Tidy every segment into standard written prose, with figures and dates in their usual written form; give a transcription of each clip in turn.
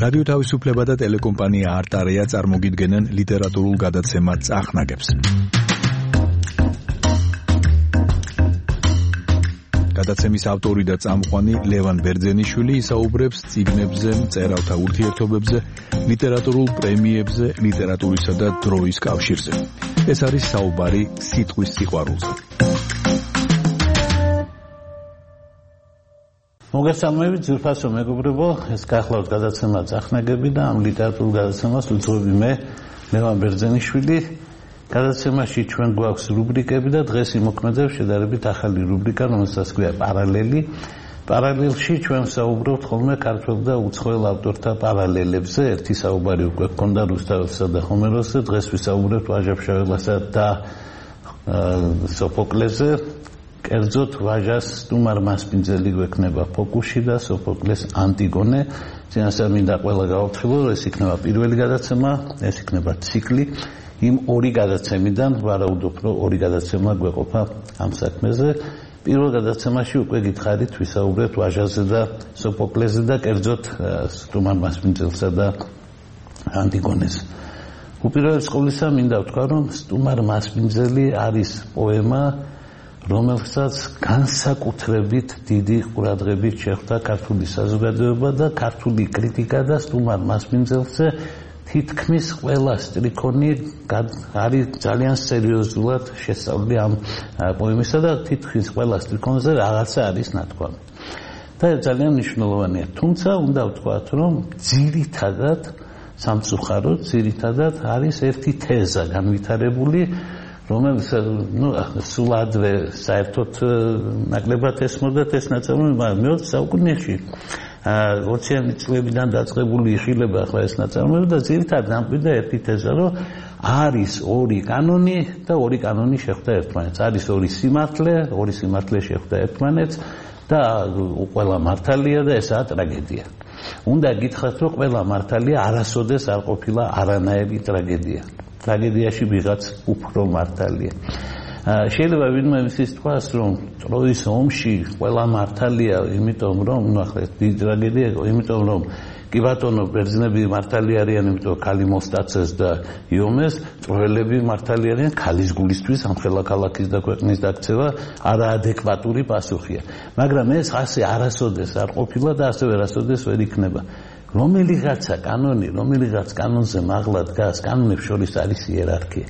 რადიო თავისუფლება და ტელეკომპანია არტარია წარმოგიდგენენ ლიტერატურულ გადაცემა წახნაგებს. გადაცემის ავტორი და წამყვანი ლევან ბერძენიშვილი ისაუბრებს წიგნებზე, მწერალთა ურთიერთობებზე, ლიტერატურულ პრემიებზე, ლიტერატურისა და დროის კავშირზე. ეს არის საუბარი სიტყვის სიყვარულზე. მოგესალმებით, ძვირფასო მეგობრებო, ეს გახლავთ გადაცემა წახნაგები და ამ ლიტერატურულ გადაცემას ვიწყობი მე, ლევან ბერძენიშვილი. გადაცემაში ჩვენ გვაქვს რუბრიკები და დღეს იმოქმედებს შედარებით ახალი რუბრიკა, რომელსაც ქვია პარალელი. პარალელში ჩვენ საუბრობთ ხოლმე ქართველ და უცხოელ ავტორთა პარალელებზე. ერთი საუბარი უკვე გქონდა რუსთაველსა და ჰომეროსზე, დღეს ვისაუბრებთ ვაჟა-ფშაველასა და სოფოკლეზე. კერძოდ ვაჟას სტუმარ მასპინძელი გვექნება ფოკუსში და სოფოკლეს ანტიგონე. წინასწარ მინდა ყველა გავაფრთხილო, რომ ეს იქნება პირველი გადაცემა, ეს იქნება ციკლი. იმ ორი გადაცემიდან ვარაუდობ, რომ ორი გადაცემა გვეყოფა ამ საქმეზე. პირველ გადაცემაში უკვე გითხარით, ვისაუბრებთ ვაჟაზე და სოფოკლეზე და კერძოდ სტუმარ მასპინძელსა და ანტიგონეს. უპირველეს ყოვლისა მინდა ვთქვა, რომ სტუმარ მასპინძელი არის პოემა, რომელსაც განსაკუთრებით დიდი ყურადღებით შეხვდა ქართული საზოგადოება და ქართული კრიტიკა და სტუმარ მასპინძელზე თითქმის ყველა სტრიქონი არის ძალიან სერიოზულად შესწავლილი ამ პოემისა და თითქმის ყველა სტრიქონზე რაღაცა არის ნათქვამი. და ძალიან მნიშვნელოვანია. თუმცა უნდა ვთქვათ, რომ ძირითადად სამწუხაროდ ძირითადად არის ერთი თეზა განვითარებული, რომელიც სულ ადრე საერთოდ ნაკლებად ესმოდათ ეს ნაწარმოები, მაგრამ მე-20 საუკუნეში 20-იანი წლებიდან დაწყებული იხილება ახლა ეს ნაწარმოები და ძირითადად ამბობდა ერთი თეზა, რომ არის ორი კანონი და ორი კანონი შეხვდა ერთმანეთს. არის ორი სიმართლე შეხვდა ერთმანეთს და ყველა მართალია და ესაა ტრაგედია. უნდა გითხრათ, რომ ყველა მართალია არასოდეს არ ყოფილა არანაირი ტრაგედია. ტრაგედიაში ვიღაც უფრო მართალია. შეიძლება ვინმე ისიც თქვას, რომ ტროის ომში ყველა მართალია, იმიტომ რომ ახლა დიდი ტრაგედია, იმიტომ რომ კი ბატონო ბერძნები მართალი არიან, იმიტომ ქალი მოსტაცეს და იომეს, ტროელები მართალი არიან, ქალის გულისთვის ამ ხელა ქალაქის და ქვეყნის დაქცევა არაადეკვატური პასუხია. მაგრამ ეს ასე არასოდეს არ ყოფილა და ასევე არასოდეს ვერ იქნება. რომელიღაცა კანონზე მაღლა დგას, კანონებს შორის არის იერარქია.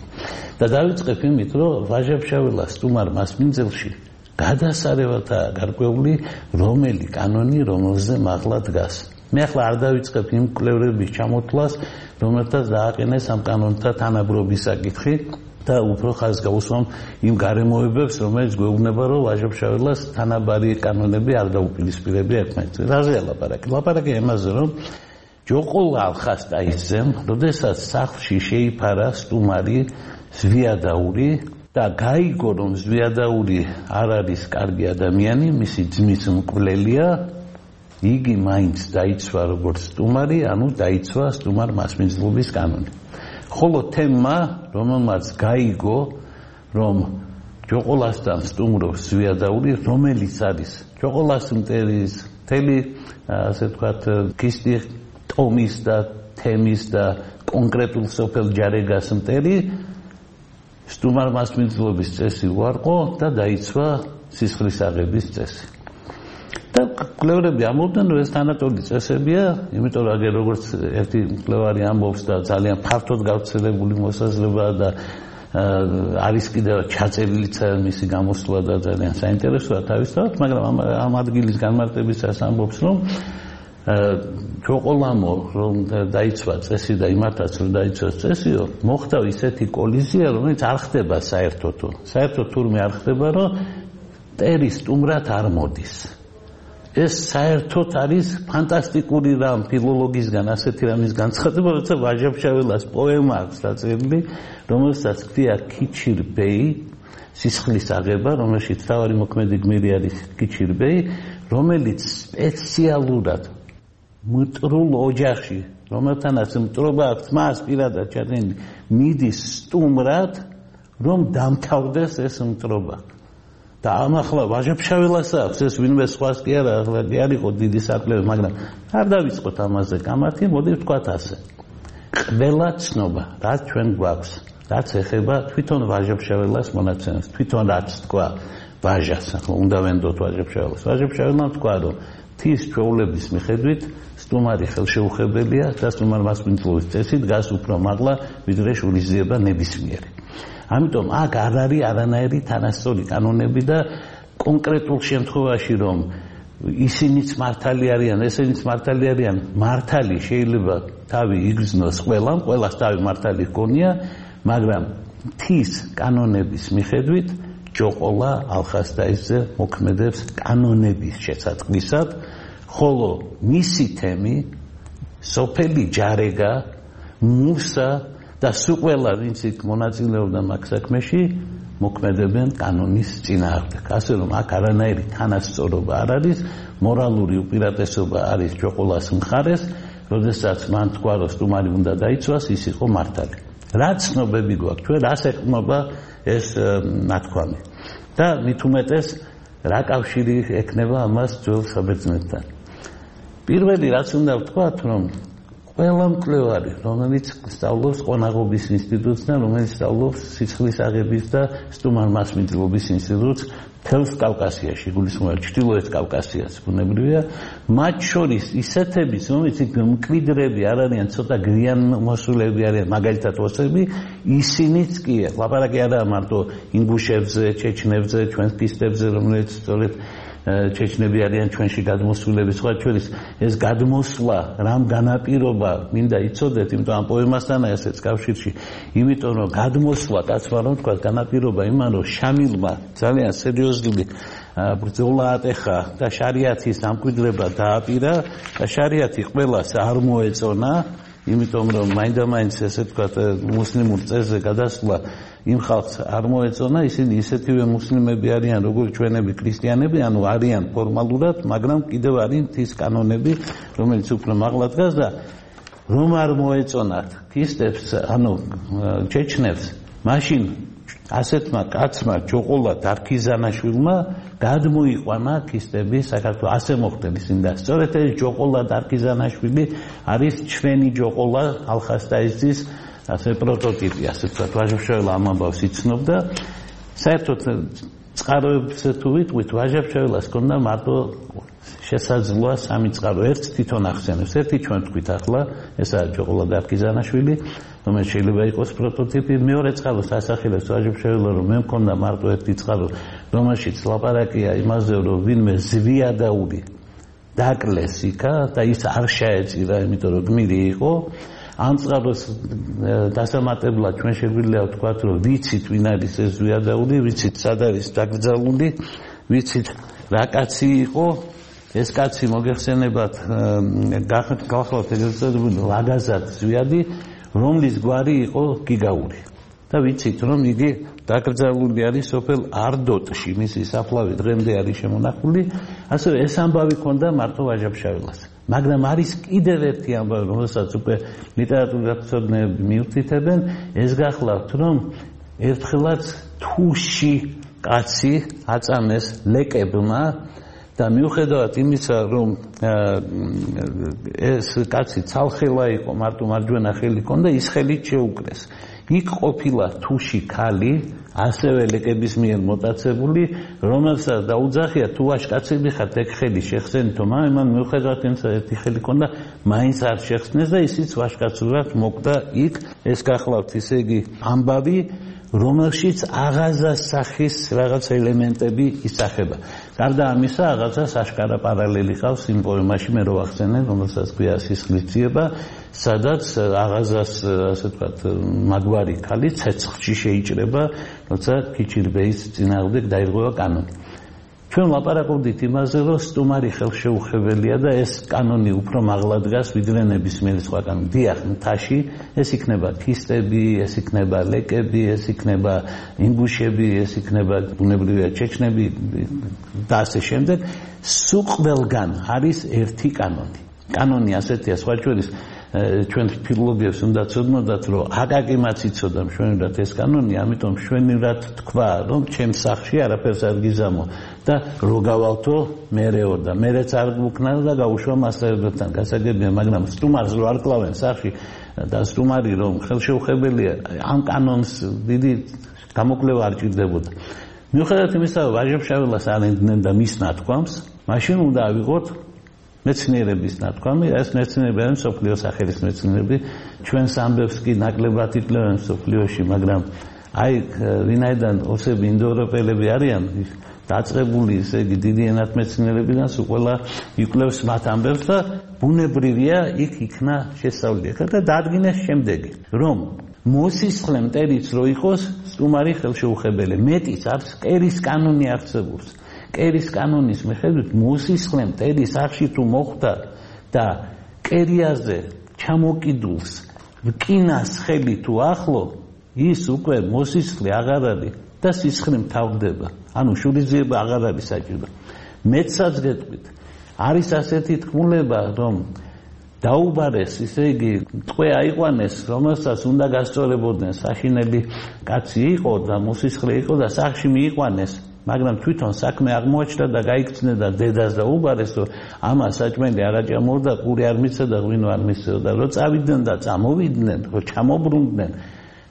და დავიწყებ იმით, რომ ვაჟა-ფშაველას სტუმარ მასპინძელში გადასარევათაა გარკვეული რომელი კანონი რომელზე მაღლა დგას. მე ახლა არ დავიწყებ იმ კვლევრების ჩამოთვლას, რომელთაც დააყენეს ამ კანონთა თანაბრობის საკითხი და უფრო ხაზს გაუსვამ იმ გარემოებებს, რომელიც გვეუბნება, რომ ვაჟა-ფშაველას თანაბარი კანონები არ დაუპირისპირებია ერთმანეთს. რაზეა ლაპარაკი? ლაპარაკი იმაზე, რომ ჯოყოლა ალხას დაისძემ, როდესაც სახლში შეიფარა სტუმარი ზვიადაური და გაიგო, რომ ზვიადაური არ არის კარგი ადამიანი, მისი ძმის მკვლელია, იგი მაინც დაიცვა როგორც სტუმარი, ანუ დაიცვა სტუმარ მასპინძლობის კანონი. ხოლო თემმა, რომელმაც გაიგო, რომ ჯოყოლასთან სტუმრობს ზვიადაური, რომელიც არის ჯოყოლას მტერის მთელი, ასე ვთქვათ, ქისტი ტომის და თემის და კონკრეტულ სოფელ ჯარეგას მტერი, სტუმარ მასპინძლობის წესი უარყო და დაიცვა სისხლის აღების წესი. და კვლევრები ამბობდნენ, რომ ეს თანატოლი წესებია, იმიტომ რომ აგერ როგორც ერთი მკვლევარი ამბობს და ძალიან ფართოდ გავრცელებული მოსაზრებაა და არის კიდევ ჩაწერილიც მისი გამოსვლა და ძალიან საინტერესოა თავისთავად, მაგრამ ამ ადგილის განმარტებისას ამბობს, რომ ჯოყოლამო რომ დაიცვა წესი და იმათაც რომ დაიცვას წესიო, მოხდა ისეთი კოლიზია, რომელიც არ ხდება საერთოდ თურმე არ ხდება, რომ მტერი სტუმრად არ მოდის. ეს საერთოდ არის ფანტასტიკური რამ ფილოლოგისგან ასეთი რამის განცხადება, როცა ვაჟა-ფშაველას პოემა აქვს დაწერილი, რომელსაც ქვია ქიჩირბეი, სისხლის აღება, რომელშიც თავარი მოქმედი გმირი არის ქიჩირბეი, რომელიც სპეციალურად მტრულ ოჯახში, რომელთანაც მტრობა აქვს, მას პირადად ჩადენილი, მიდის სტუმრად, რომ დამთავრდეს ეს მტრობა. და ამ ახლა ვაჟა-ფშაველას აქვს ეს ვინმე სხვას კი არა, ახლა კი არ იყო დიდი საკლები, მაგრამ არ დავიწყოთ ამაზე გამართი, მოდი ვთქვათ ასე. ყველა ცნობა, რაც ჩვენ გვაქვს, რაც ეხება თვითონ ვაჟა-ფშაველას მონაცემებს, თვითონ რაც თქვა ვაჟას, ახლა უნდა ვენდოთ ვაჟა-ფშაველას. ვაჟა-ფშაველმა თქვა, რომ თის ჩვეულების მიხედვით სტუმარი ხელშეუხებელია და სტუმარ მასპინძლობის წესი დგას უფრო მაღლა, ვიდრე შურისძიება ნებისმიერი. ამიტომ აქ არ არის არანაირი თანასწორი კანონები და კონკრეტულ შემთხვევაში რომ ისინიც მართალი არიან, ესენიც მართალი არიან, მართალი შეიძლება თავი იგრძნოს ყველას თავი მართალი ჰქონია, მაგრამ თის კანონების მიხედვით ჯოყოლა ალხასტაისზე მოქმედებს კანონების შესაწყისად, ხოლო მისი თემი სოფელი ჯარეგა, მუსა და სულ ყველა ვინც იქ მონაწილეობდა მაგ საქმეში მოქმედებენ კანონის წინააღმდეგ. ასე რომ აქ არანაირი თანასწორობა არ არის, მორალური უპირატესობა არის ჯოყოლას მხარეს, როდესაც მან თქვა, რომ სტუმარი უნდა დაიცვას, ის იყო მართალი. რა ცნობები გვაქვს ჩვენ, რას ეყრდნობა ეს ნათქვამი და მით უმეტეს რა კავშირი ექნება ამას ძველ საბერძნეთთან. პირველი რაც უნდა ვთქვათ, რომ ყველა მკვლევარი, რომელიც სწავლობს ყონაღობის ინსტიტუტსთან, რომელიც სწავლობს სიცხლის აღების და სტუმარ მასპინძლობის ინსტიტუტს მთელს კავკასიაში, გულისხმობ ჩრდილოეთ კავკასიას, ბუნებრივია, მათ შორის ისეთების, რომელიც მკვიდრები არ არიან, ცოტა გვიან მოსულები არიან, მაგალითად ოსები, ისინიც კი, ლაპარაკი არაა მარტო ინგუშებზე, ჩეჩნებზე, ჩვენს პისტებზე, რომელიც სწორედ ჩეჩნები არიან ჩვენში გადმოსულები, სხვა ჩვენის ეს გადმოსვლა, რამ განაპირობა, მინდა იცოდეთ, იმიტომ ამ პოემასთანაა ესეც კავშირში, იმიტომ რომ გადმოსვლა, კაცმა რომ თქვა, განაპირობა იმან, რომ შამილმა ძალიან სერიოზული ბრძოლა ატეხა და შარიათის ამკვიდრება დააპირა და შარიათი ყველას არ მოეწონა, იმიტომ რომ მაინდა-მაინც ესე თქვა მუსლიმურ წესზე გადასვლა იმ ხალხს არ მოეწონა, ისინი ისეთივე მუსლიმები არიან, როგორც ჩვენები ქრისტიანები, ანუ არიან ფორმალურად, მაგრამ კიდევ არის თის კანონები, რომელიც უფრო მაღლა დგას და რომ არ მოეწონათ ქისტებს, ანუ ჩეჩნებს, მაშინ ასეთმა კაცმა ჯოყოლა დარქიზანაშვილმა გადმოიყვანა ქისტები საქართველოს. ასე მოხდა ისინი და სწორედ ეს ჯოყოლა დარქიზანაშვილი არის ჩვენი ჯოყოლა ალხასტაისის ასე პროტოტიპი, ასე ვთქვათ, ვაჟა-ფშაველა ამ ამბავს იცნობდა. საერთოდ წყაროებზე თუ ვიტყვით, ვაჟა-ფშაველას ჰქონდა მარტო შესაძლოა სამი წყარო. ერთს თვითონ ახსენებს, ერთი ჩვენ ვთქვით ახლა, ესაა ჯოყოლა დარქიზანაშვილი, რომელიც შეიძლება იყოს პროტოტიპი. მეორე წყაროს ასახელებს ვაჟა-ფშაველა, რომ მე მქონდა მარტო ერთი წყარო, რომელშიც ლაპარაკია იმაზე, რომ ვინმე ზვიადაური დაკლეს იქა და ის არ შეეწირა, იმიტომ რომ გმირი იყო. ამ წყაროს დასამატებლად ჩვენ შეგვიძლია ვთქვათ, რომ ვიცით ვინ არის ეს ზვიადაური, ვიცით სად არის დაკრძალული, ვიცით რა კაცი იყო. ეს კაცი მოგეხსენებათ გახლავთ ეგრეთ წოდებული ლაგაზად ზვიადი, რომლის გვარი იყო გიგაური. და ვიცით რომ იგი დაკრძალული არის სოფელ არდოტში, მისი საფლავი დღემდე არის შემონახული. ასევე ეს ამბავი ქონდა მარტო ვაჟა-ფშაველას. მაგრამ არის კიდევ ერთი ამბავი, რომელსაც უკვე ლიტერატურათმცოდნეები მიუთითებენ, ეს გახლავთ, რომ ერთხელაც თუში კაცი აწამეს ლეკებმა და მიუხედავად იმისა, რომ ეს კაცი ცალხელა იყო, მარტო მარჯვენა ხელი ჰქონდა, ის ხელით შეუკრეს. იქ ყოფილა თუში ქალი, ასევე ლეკების მიერ მოტაცებული, რომელსაც დაუძახია, თუ ვაჟკაცები ხართ, ეგ ხელი შეხსენითო, მაგრამ მიუხედავად იმისა, ერთი ხელი ჰქონდა, მაინც არ შეხსნეს და ისიც ვაჟკაცურად მოკვდა იქ. ეს გახლავთ, ისე იგი ამბავი, რომელშიც აღაზას სახის რაღაც ელემენტები ისახება. გარდა ამისა, აღაზას აშკარა პარალელი ყავს იმ პოემაში, მე რო ვახსენე, რომელსაც ქვია სისხლისძიება, სადაც აღაზას, ასე ვთქვათ, მაგვარი ქალი ცეცხლში შეიჭრება, როცა ქიჩირბეის წინააღმდეგ დაირღვევა კანონი. ჩვენ ლაპარაკობდით იმაზე, რომ სტუმარი ხელშეუხებელია და ეს კანონი უფრო მაღლა დგას, ვიდრე ნებისმიერი სხვა კანონი. დიახ, მთაში ეს იქნება ქისტები, ეს იქნება ლეკები, ეს იქნება ინგუშები, ეს იქნება ბუნებრივია ჩეჩნები და ასე შემდეგ. სულ ყველგან არის ერთი კანონი. კანონი ასეთია, სხვა შორის ჩვენ ფილოლოგებს უნდა ცოდნოდათ, რომ აკაკიმაც იცოდა მშვენივრად ეს კანონი, ამიტომ მშვენივრად თქვა, რომ ჩემს სახლში არაფერს არ გიზამო და რო გავალთო მერეო და მერეც არ გვქნა და გაუშვა მასწავლებლებთან. გასაგებია, მაგრამ სტუმარს რო არ კლავენ სახლში და სტუმარი რომ ხელშეუხებელია, ამ კანონს დიდი გამოკვლევა არ ჭირდებოდა. მიუხედავად იმისა, რომ ვაჟა-ფშაველას არ ენდნენ და მის ნათქვამს, მაშინ უნდა ავიღოთ მეცნიერების ნათქვამი, ეს მეცნიერები არის მსოფლიოს სახელის მეცნიერები, ჩვენს ამბებს კი ნაკლებად იკლებენ მსოფლიოში, მაგრამ აი ვინაიდან ოსები ინდოევროპელები არიან დაწყებული, ესე იგი დიდი ენათმეცნიერებიდან სულ ყველა იკვლევს მათ ამბებს და ბუნებრივია იქ იქნა შესწავლილი. და დაადგინეს შემდეგი, რომ მოსისხლე მტერიც რო იყოს სტუმარი ხელშეუხებელი, მეტიც არის კერის კანონი არსებობს. კერის კანონის მიხედვით მოსისხლე მტერი სახლში თუ მოხვდა და კერიაზე ჩამოკიდულს რკინას ხელი თუ ახლო, ის უკვე მოსისხლე აღარ არის და სისხლი მთავრდება. ანუ შურიძიება აღარ არის საჭირო. მეცაც გეტყვით, არის ასეთი თქმულება, რომ დაუბარეს, ისე იგი ტყვე აიყვანეს, რომელსაც უნდა გასწორებოდნენ, საშინელი კაცი იყო და მოსისხლე იყო და სახლში მიიყვანეს. მაგრამ თვითონ საქმე აღმოაჩნდა და გაიქცნა და დედას დაუბარეს, რომ ამას საჭმელი არ აჭამორდა, პური არ მისცა და ღვინო არ მისცეოდა. რომ წავიდნენ და წამოვიდნენ, რომ ჩამობრუნდნენ,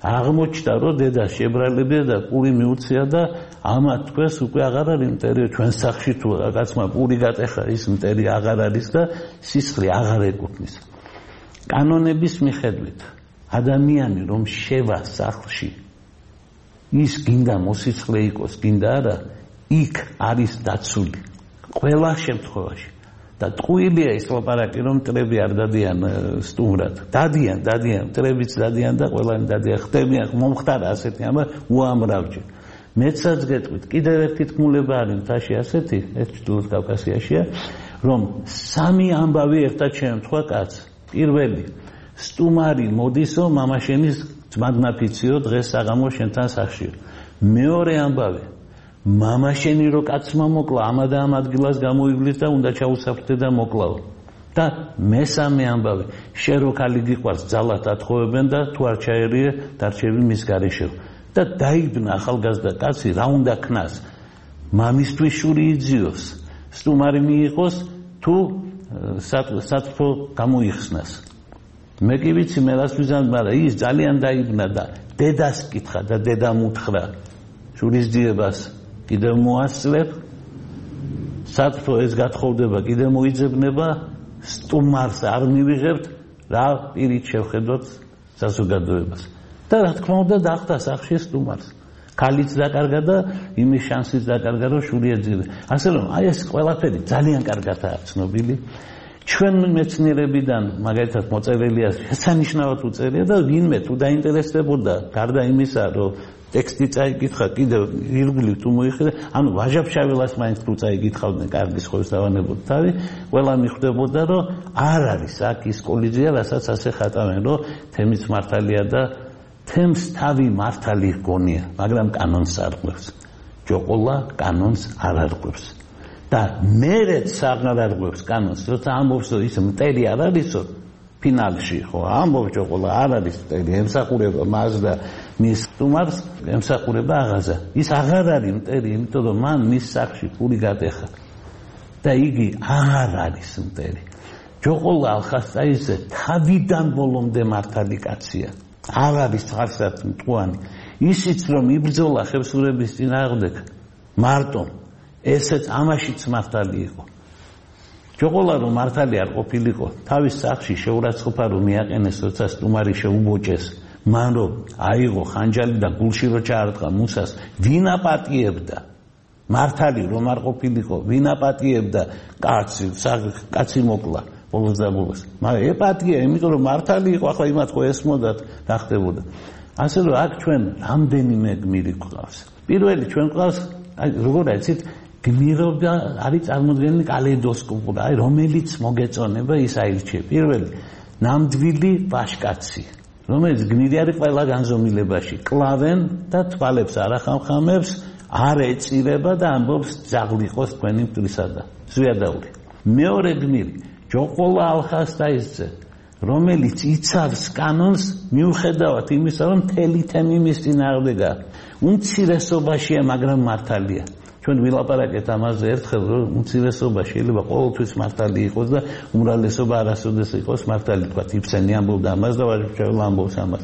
აღმოჩნდა, რომ დედა შებრალებია და პური მიუცია და ამათ თქვენს უკვე აღარ არის მტერი, ჩვენ სახლში თუ კაცმა პური გატეხა, ის მტერი აღარ არის და სისხლი აღარ ეკუთვნის. კანონების მიხედვით, ადამიანი რომ შევა სახლში, ის გინდა მოსისხლე იყოს, გინდა არა, იქ არის დაცული ყველა შემთხვევაში. და ტყუილია ის ლაპარაკი, რომ მტრები არ დადიან სტუმრად. დადიან, მტრებიც დადიან და ყველანი დადიან. ხდებიან, მომხდარა ასეთი ამბავი უამრავჯერ. მეცაც გეტყვით, კიდევ ერთი თქმულება არის მთაში ასეთი, ეს ჩრდილოეთ კავკასიაშია, რომ სამი ამბავი ერთად შეემთხვა კაცს. პირველი, სტუმარი მოდისო, მამაშენის ძმადნაფიციო, დღეს საღამო შენთან სახლში. მეორე ამბავი, მამაშენი რო კაცმა მოკლა, ამა და ამ ადგილას გამოივლის და უნდა ჩაუსაფრთხე და მოკლაო. და მესამე ამბავი, შენ რო ქალი გიყვარს, ძალად ათხოვებენ და თუ არ ჩაერია, დარჩები მის გარეშე. და დაიბნა ახალგაზრდა კაცი, რა უნდა ქნას? მამისთვის შური იძიოს, სტუმარი მიიღოს, თუ სათფო გამოიხსნას. მე კი ვიცი, მე რას ვიზამ, მაგრამ ის ძალიან დაიბნა და დედას კითხა და დედამ უთხრა, შურის ძიებას კიდევ მოასწრებ, სათფო ეს გათხოვდება, კიდევ მოიძებნება, სტუმარს არ მივიღებთ, რა პირით შევხედოთ საზოგადოებას. და რა თქმა უნდა დაახდა სახლში სტუმარს. ქალიც დაკარგა და იმის შანსიც დაკარგა, რომ შური ეძინა. ასე რომ აი ეს ყველაფერი ძალიან კარგადაა ცნობილი. ჩვენ მეცნიერებიდან მაგალითად მოწერილია, შესანიშნავად უწერია და ვინმე თუ დაინტერესდებოდა, გარდა იმისა, რომ ტექსტი წაიკითხა, კიდევ ირგვლივ თუ მოიხედა, ანუ ვაჟა-ფშაველას მაინც თუ წაიკითხავდნენ, კარგი სხეულს დავანებოთ თავი, ყველა მიხვდებოდა, რომ არ არის აქ ის კოლიზია, რასაც ასე ხატავენ, რომ თემის მართალია და თემს თავი მართალი გონია, მაგრამ კანონს არ ყვევს. ჯოყოლა კანონს არ არღვევს. და მერეც აღარ არღვევს კანონს, როცა ამბობს, რომ ის მტერი არ არისო, ფინალში ხო ამბობს ჯოყოლა არ არის მტერი, ემსახურება მას და მის სტუმარს, ემსახურება აღაზა. ის აღარ არის მტერი, იმიტომ რომ მან მის სახლში პური გატეხა. და იგი აღარ არის მტერი. ჯოყოლა ალხასტაიძე თავიდან ბოლომდე მართალი კაცია. არ არის ხარსად მტყუანი. ისიც რომ იბრძოლა ხევსურების წინააღმდეგ მარტო ესეც ამაშიც მართალი იყო. ჯოყოლა რომ მართალი არ ყოფილიყო, თავის სახლში შეურაცხყოფა რომ მიაყენეს, როცა სტუმარი შეუბოჭეს, მან რომ აიღო ხანჯალი და გულში რო ჩაარტყა მუსას, ვინ აპატიებდა? მართალი რომ არ ყოფილიყო, ვინ აპატიებდა კაცი მოკლა ბოლოს და ბოლოს. მაგრამ ეპატია, იმიტომ რომ მართალი იყო, ახლა იმათ ხო ესმოდათ და ხდებოდა. ასე რომ აქ ჩვენ რამდენიმე გმირი გვყავს. პირველი ჩვენ გვყავს, აი როგორ აიცით, გმირობა არის წარმოდგენილი კალეიდოსკოპური, აი რომელიც მოგეწონება ის აირჩიე. პირველი, ნამდვილი ვაჟკაცი, რომელიც გმირი არის ყველა განზომილებაში, კლავენ და თვალებს არ ახამხამებს, არ ეწირება და ამბობს ძაღლიყოს თქვენი მტრისა და ზვიადაური. მეორე გმირი, ჯოყოლა ალხასტაიძე, რომელიც იცავს კანონს მიუხედავად იმისა, რომ მთელი თემი მის წინააღმდეგაა. უმცირესობაშია, მაგრამ მართალია. ჩვენ ვილაპარაკეთ ამაზე ერთხელ, რომ უმცირესობა შეიძლება ყოველთვის მართალი იყოს და უმრავლესობა არასოდეს იყოს მართალი. თქვა იფსენი ამბობდა ამას და ვაჟიჩევლა ამბობს ამას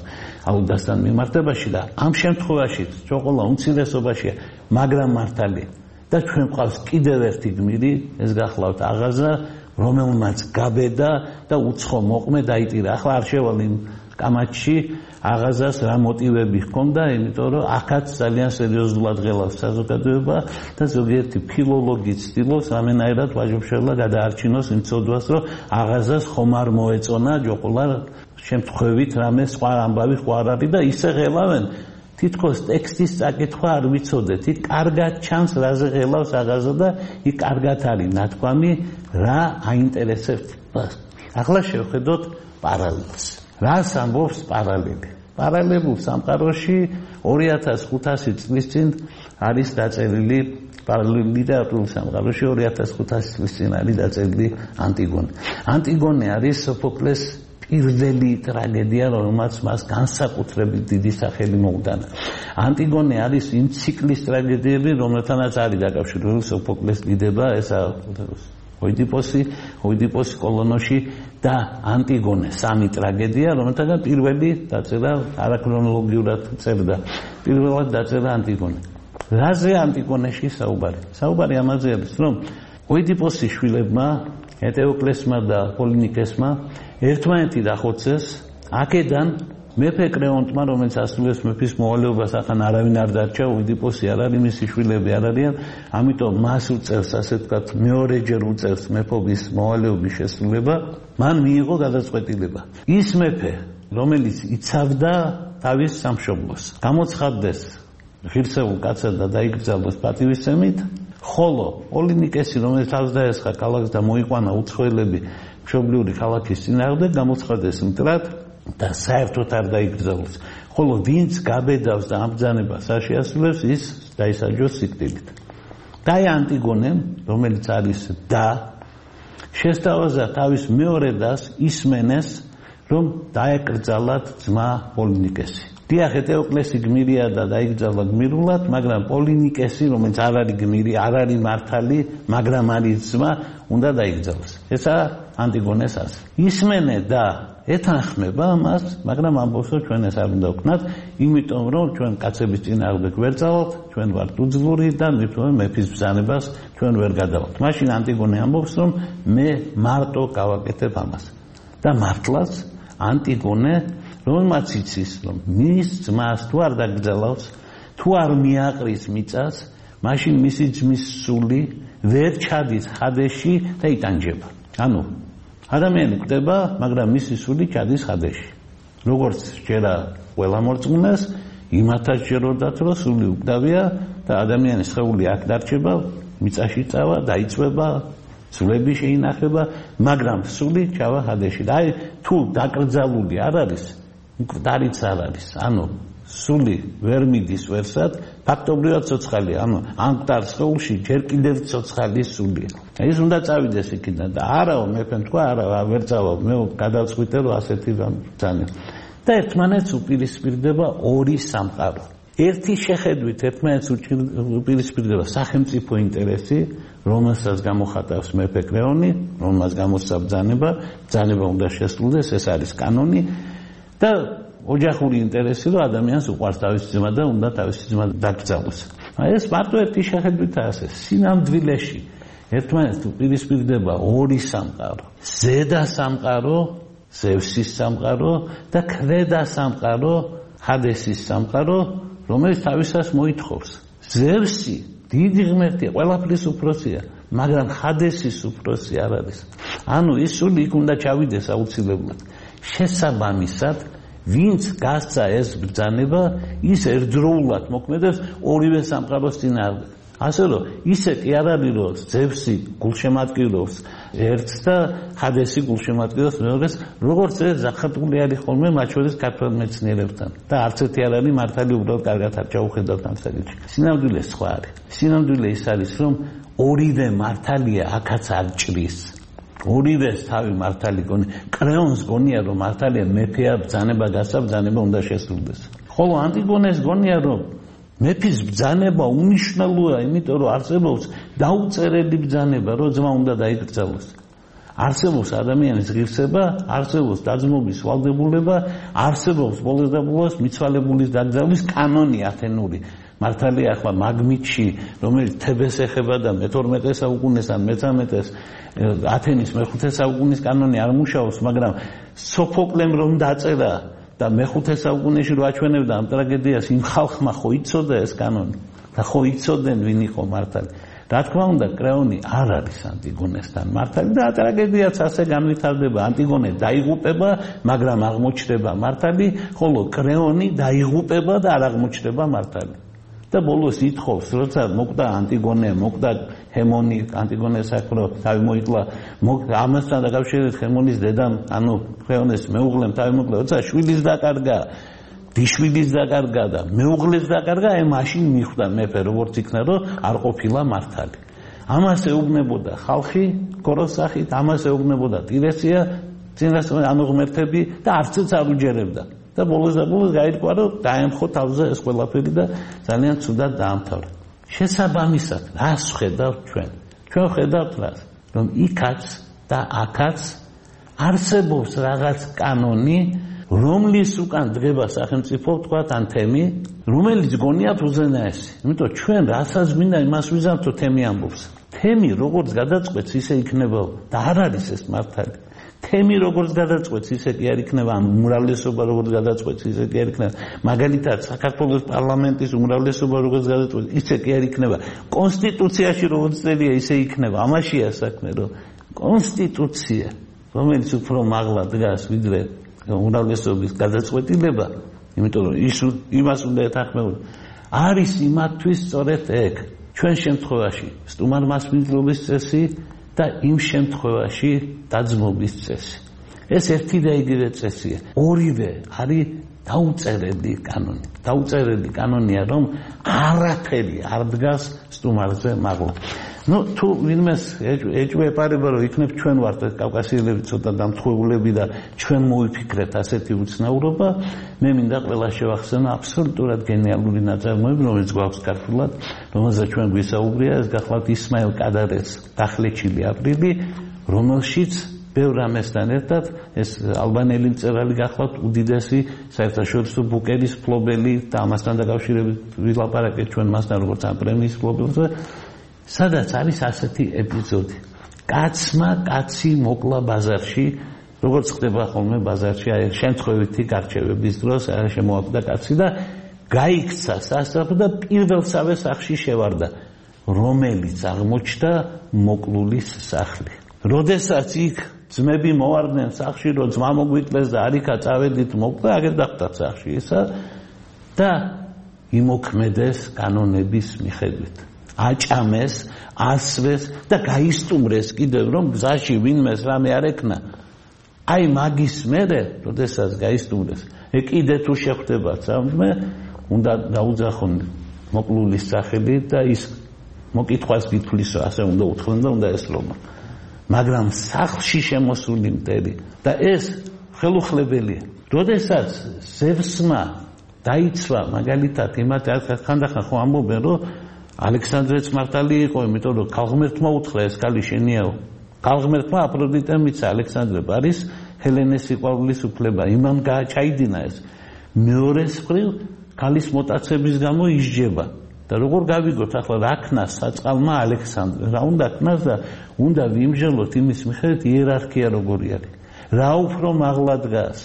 აუდასთან მიმართებაში და ამ შემთხვევაში ჩოყოლა უმცირესობაშია, მაგრამ მართალია. და ჩვენ ყავს კიდევ ერთი გმირი, ეს გახლავთ აღაზა, რომელმაც გაბედა და უცხო მოყმე დაიტირა. ახლა არ შევალ იმ კამათში აღაზას რა მოტივები ჰქონდა, იმიტომ რომ აქაც ძალიან სერიოზულად ღელავს საზოგადოება და ზოგიერთი ფილოლოგი ცდილობს რამენაირად ვაჟობშევლა გადაარჩინოს იმ ცოდვას, რომ აღაზას ხომ არ მოეწონა ჯოყოლა შემთხვევით რამე სხვა ამბავი ხო არ არის და ისე ღელავენ თითქოს ტექსტის წაკითხვა არ ვიცოდეთ. იქ კარგად ჩანს რაზე ღელავს აღაზა და იქ კარგად არის ნათქვამი რა აინტერესებთ მას. ახლა შევხედოთ პარალელს. რას ამბობს პარალელი? პარალელებულ სამყაროში 2500 წლის წინ არის დაწერილი პარალელურ ლიტერატურულ სამყაროში 2500 წლის წინ არის დაწერილი ანტიგონე. ანტიგონე არის სოფოკლეს პირველი ტრაგედია, რომელმაც მას განსაკუთრებით დიდი სახელი მოუტანა. ანტიგონე არის იმ ციკლის ტრაგედიები, რომელთანაც არის დაკავშირებული სოფოკლეს დიდება, ესა ოიდიპოსი კოლონოში და ანტიგონე, სამი ტრაგედია, რომელთაგან პირველი დაწერა არაქრონოლოგიურად წერდა. პირველად დაწერა ანტიგონე. რაზე ანტიგონეში საუბარი? საუბარი ამაზე არის, რომ ოიდიპოსის შვილებმა, ეტეოკლესმა და პოლინიკესმა ერთმანეთი დახოცეს, აქედან მეფე კრეონტმა, რომელიც ასრულებს მეფის მოვალეობას, ახან არავინ არ დარჩა, ოიდიპოსი არ არის, მისი შვილები არ არიან, ამიტომ მას უწევს, ასე ვთქვათ, მეორეჯერ უწევს მეფობის მოვალეობის შესრულება, მან მიიღო გადაწყვეტილება. ის მეფე, რომელიც იცავდა თავის სამშობლოს, გამოცხადდეს ღირსეულ კაცად და დაიკრძალოს პატივისცემით, ხოლო პოლინიკესი, რომელიც თავს დაესხა ქალაქს და მოიყვანა უცხოელები მშობლიური ქალაქის წინააღმდეგ, გამოცხადდეს მტრად და საერთოდ არ დაიკრძალოს. ხოლო ვინც გაბედავს და ამ ბრძანებას არ შეასრულებს, ის დაისაჯოს სიკვდილით. და ანტიგონემ, რომელიც არის და შესთავაზა თავის მეორე დას ისმენეს, რომ დაეკრძალათ ძმა პოლინიკესი. დიახ, ეტეოკლესი გმირია და დაიკრძალა გმირულად, მაგრამ პოლინიკესი, რომელიც არ არის გმირი, არ არის მართალი, მაგრამ არის ძმა, უნდა დაიკრძალოს. ესა ანტიგონეს ასე. ისმენე და ეთანხმება მას, მაგრამ ამბობს, რომ ჩვენ ეს არ უნდა ვქნათ, იმიტომ რომ ჩვენ კაცების წინააღმდეგ ვერ წავალთ, ჩვენ ვართ უძლური და მეფის ბრძანებას ჩვენ ვერ გადავალთ. მაშინ ანტიგონე ამბობს, რომ მე მარტო გავაკეთებ ამას. და მართლაც ანტიგონე, რომელმაც იცის, რომ მის ძმას თუ არ დაკრძალავს, თუ არ მიაყრის მიწას, მაშინ მისი ძმის სული ვერ ჩადის ჰადეში და იტანჯება. ანუ ადამიანი კვდება, მაგრამ მისი სული ჩადის ჰადეში. როგორც ჯერა ყველა მორწმუნეს, იმათაც ჯეროდათ, რომ სული უკდავია და ადამიანის სხეული აქ დარჩება, მიწაში წავა, დაიწვება, სულები შეინახება, მაგრამ სული ჩავა ჰადეში. და აი თუ დაკრძალული არ არის, მკვდარიც არ არის. ანუ სული ვერ მიდის ვერსად, ფაქტობრივად ცოცხალია. ანუ ამ მკვდარ სხეულში ჯერ კიდევ ცოცხალი სულია. ის უნდა წავიდეს იქიდან და არაო მეფემ თქვა, არა, ვერ წავალ, მე გადავწყვიტე, რომ ასეთი ბრძანა. და ერთმანეთს უპირისპირდება ორი სამყარო. ერთი შეხედვით ერთმანეთს უპირისპირდება სახელმწიფო ინტერესი, რომელსაც გამოხატავს მეფე კრეონი, რომელსაც გამოსცა ბრძანება უნდა შესრულდეს, ეს არის კანონი. და ოჯახური ინტერესი, რომ ადამიანს უყვარს თავისი ძმა და უნდა თავისი ძმა დაკრძალოს. ეს მარტო ერთი შეხედვითაა ასე. სინამდვილეში ერთმანეთს უპირისპირდება ორი სამყარო. ზედა სამყარო, ზევსის სამყარო და ქვედა სამყარო, ჰადესის სამყარო, რომელიც თავისას მოითხოვს. ზევსი დიდი ღმერთია, ყველაფრის უფროსია, მაგრამ ჰადესის უფროსი არ არის. ანუ ის სული იქ უნდა ჩავიდეს აუცილებლად. შესაბამისად, ვინც გასცა ეს ბრძანება, ის ერთდროულად მოქმედებს ორივე სამყაროს წინააღმდეგ. ასე რომ ისე კი არ არის, რომ ზევსი გულშემატკივრობს ერთს და ჰადესი გულშემატკივრობს მეორეს, როგორც ეს ზახატული არის ხოლმე მათ შორის ქართველ მეცნიერებთან. და არც ერთი არ არის მართალი, უბრალოდ კარგად არ ჩაუხედავთ ამ საკითხში. სინამდვილე სხვა არის. სინამდვილე ის არის, რომ ორივე მართალია, აქაც არ ჭრის. ორივეს თავი მართალი გონი. კრეონს გონია რომ მართალია მეფეა ბრძანება გასაბრძანება უნდა შესრულდეს. ხოლო ანტიგონეს გონია რომ მეფის ბრძანება უნიშნელოა, იმიტომ რომ არსებობს დაუწერელი ბრძანება, რომ ძმა უნდა დაიკრძალოს. არსებობს ადამიანის ღირსება, არსებობს დაძმობის ვალდებულება, არსებობს ბოლოს და ბოლოს მიცვალებულის დაკრძალვის კანონი ათენური. მართალია ახლა მაგმიტში, რომელიც თებეს ეხება და მე-12 საუკუნეს ან მე-13-ეს ათენის მე-5 საუკუნის კანონი არ მუშაობს, მაგრამ სოფოკლემ რომ დაწერა და მე-5 საუკუნეში რო აჩვენებდა ამ ტრაგედიას, იმ ხალხმა ხო იცოდა ეს კანონი და ხო იცოდნენ ვინ იყო მართალი. რა თქმა უნდა, კრეონი არ არის ანტიგონესთან მართალი და ტრაგედიაც ასე განვითარდება. ანტიგონე დაიღუპება, მაგრამ აღმოჩნდება მართალი, ხოლო კრეონი დაიღუპება და არ აღმოჩნდება მართალი. და ბოლოს ითხოვს, როცა მოკვდა ანტიგონე, მოკვდა ჰემონი, ანტიგონეს აქრო თავი მოიკლა, ამასთან დაკავშირებით ჰემონის დედამ, ანუ კრეონეს მეუღლემ თავი მოიკლა, როცა შვილის დაკარგა, დიშვილის დაკარგა და მეუღლეს დაკარგა, მაშინ მიხვდა მეფე როგორც იქნა, რომ არ ყოფილა მართალი. ამას ეუბნებოდა ხალხი კოროს სახით, ამას ეუბნებოდა ტირესია, წინასწარ ანუ ღმერთები და არცაც არ უჯერებდა. და ბოლოს გაირკვა რომ დაემხო თავზე ეს ყველაფერი და ძალიან ცუდად დაამთავრა. შესაბამისად, რას ხედავთ ჩვენ? ჩვენ ხედავთ რას? რომ იქაც და აქაც არსებობს რაღაც კანონი, რომლის უკან დგება სახელმწიფო, თქვათ, ან თემი, რომელიც გონიათ უზენაესი. იმიტომ ჩვენ რასაც მინდა იმას ვიზამთ, რომ თემი ამბობს. თემი როგორც გადაწყვეტს, ისე იქნება და არ არის ეს მართალი. თემი როგორც გადაწყვეტს, ისე კი არ იქნება, ამ უმრავლესობა როგორც გადაწყვეტს, ისე კი არ იქნება. მაგალითად, საქართველოს პარლამენტის უმრავლესობა როგორც გადაწყვეტს, ისე კი არ იქნება. კონსტიტუციაში როგორც წერია, ისე იქნება. ამაშია საქმე, რომ კონსტიტუცია, რომელიც უფრო მაღლა დგას, ვიდრე უმრავლესობის გადაწყვეტილება, იმიტომ რომ იმას უნდა ეთანხმებოდა, არის იმათთვის სწორედ ეგ. ჩვენ შემთხვევაში სტუმარ-მასპინძლობის წესი და იმ შემთხვევაში დაძმობის წესი. ეს ერთი და იგივე წესია. ორივე არის დაუწერელი კანონი. დაუწერელი კანონია, რომ არაფერი არ დგას სტუმარზე მაღლა. თუ ვინმეს ეჭვეპარება, რომ იქნებ ჩვენ ვართ კავკასიელები ცოტა დამთხეულები და ჩვენ მოვიფიქრეთ ასეთი უცნაურობა, მე მინდა ყველა შევახსენო აბსოლუტურად გენიალური ნაწარმოები, რომელიც გვაქვს ქართულად, რომელზეც ჩვენ გვისაუბრია, ეს გახლავთ ისმაილ კადარეს დახლეჩილი აპრილი, რომელშიც ბევრ რამესთან ერთად ეს ალბანელი მწერალი გახლავთ უდიდესი საერთაშორისო ბუკერის ფლობელი და ამასთან დაკავშირებით ვილაპარაკეთ ჩვენ მასთან როგორც ამ პრემიის ფლობელზე, სადაც არის ასეთი ეპიზოდი. კაცმა კაცი მოკლა ბაზარში, როგორც ხდება ხოლმე ბაზარში, აი შემთხვევითი გარჩევების დროს შემოაკვდა კაცი და გაიქცა სასახლე და პირველსავე სახლში შევარდა, რომელიც აღმოჩნდა მოკლულის სახლი. როდესაც იქ ძმები მოვარდნენ სახლში, რომ ძმა მოგვიკლეს და არიქა წავედით მოკვდა, აგერ დახვდათ სახლში ისა და იმოქმედეს კანონების მიხედვით. აჭამეს, ასვეს და გაისტუმრეს კიდევ რომ გზაში ვინმეს რამე არ ეკნა. აი მაგის მერე, როდესაც გაისტუმრეს, კიდე თუ შეხვდება ცამე, უნდა დაუძახონ მოკლულის სახელი და ის მოკითხვას გითვლისო, ასე უნდა უთხრენ და უნდა ესწრონ. მაგრამ სახლში შემოსული მტერი და ეს ხელუხლებელია. როდესაც ზევსმა დაიცვა მაგალითად იმათ ხანდახან ხო ამბობენ რომ ალექსანდრეც მართალი იყო, იმიტომ რომ ქალღმერთმა უთხრა ეს ქალი შენიაო. ქალღმერთმა აფროდიტემ მიცა ალექსანდრე არის ჰელენეს სიყვარულის უფლება, იმამ ჩაიდინა ეს. მეორეს მხრივ ქალის მოტაცების გამო ისჯება. და როგორ გავიგოთ ახლა რა ქნას საწყალმა ალექსანდრე, რა უნდა ქნას და უნდა ვიმჟელოთ იმის მიხედვით იერარქია როგორი არის. რა უფრო მაღლა დგას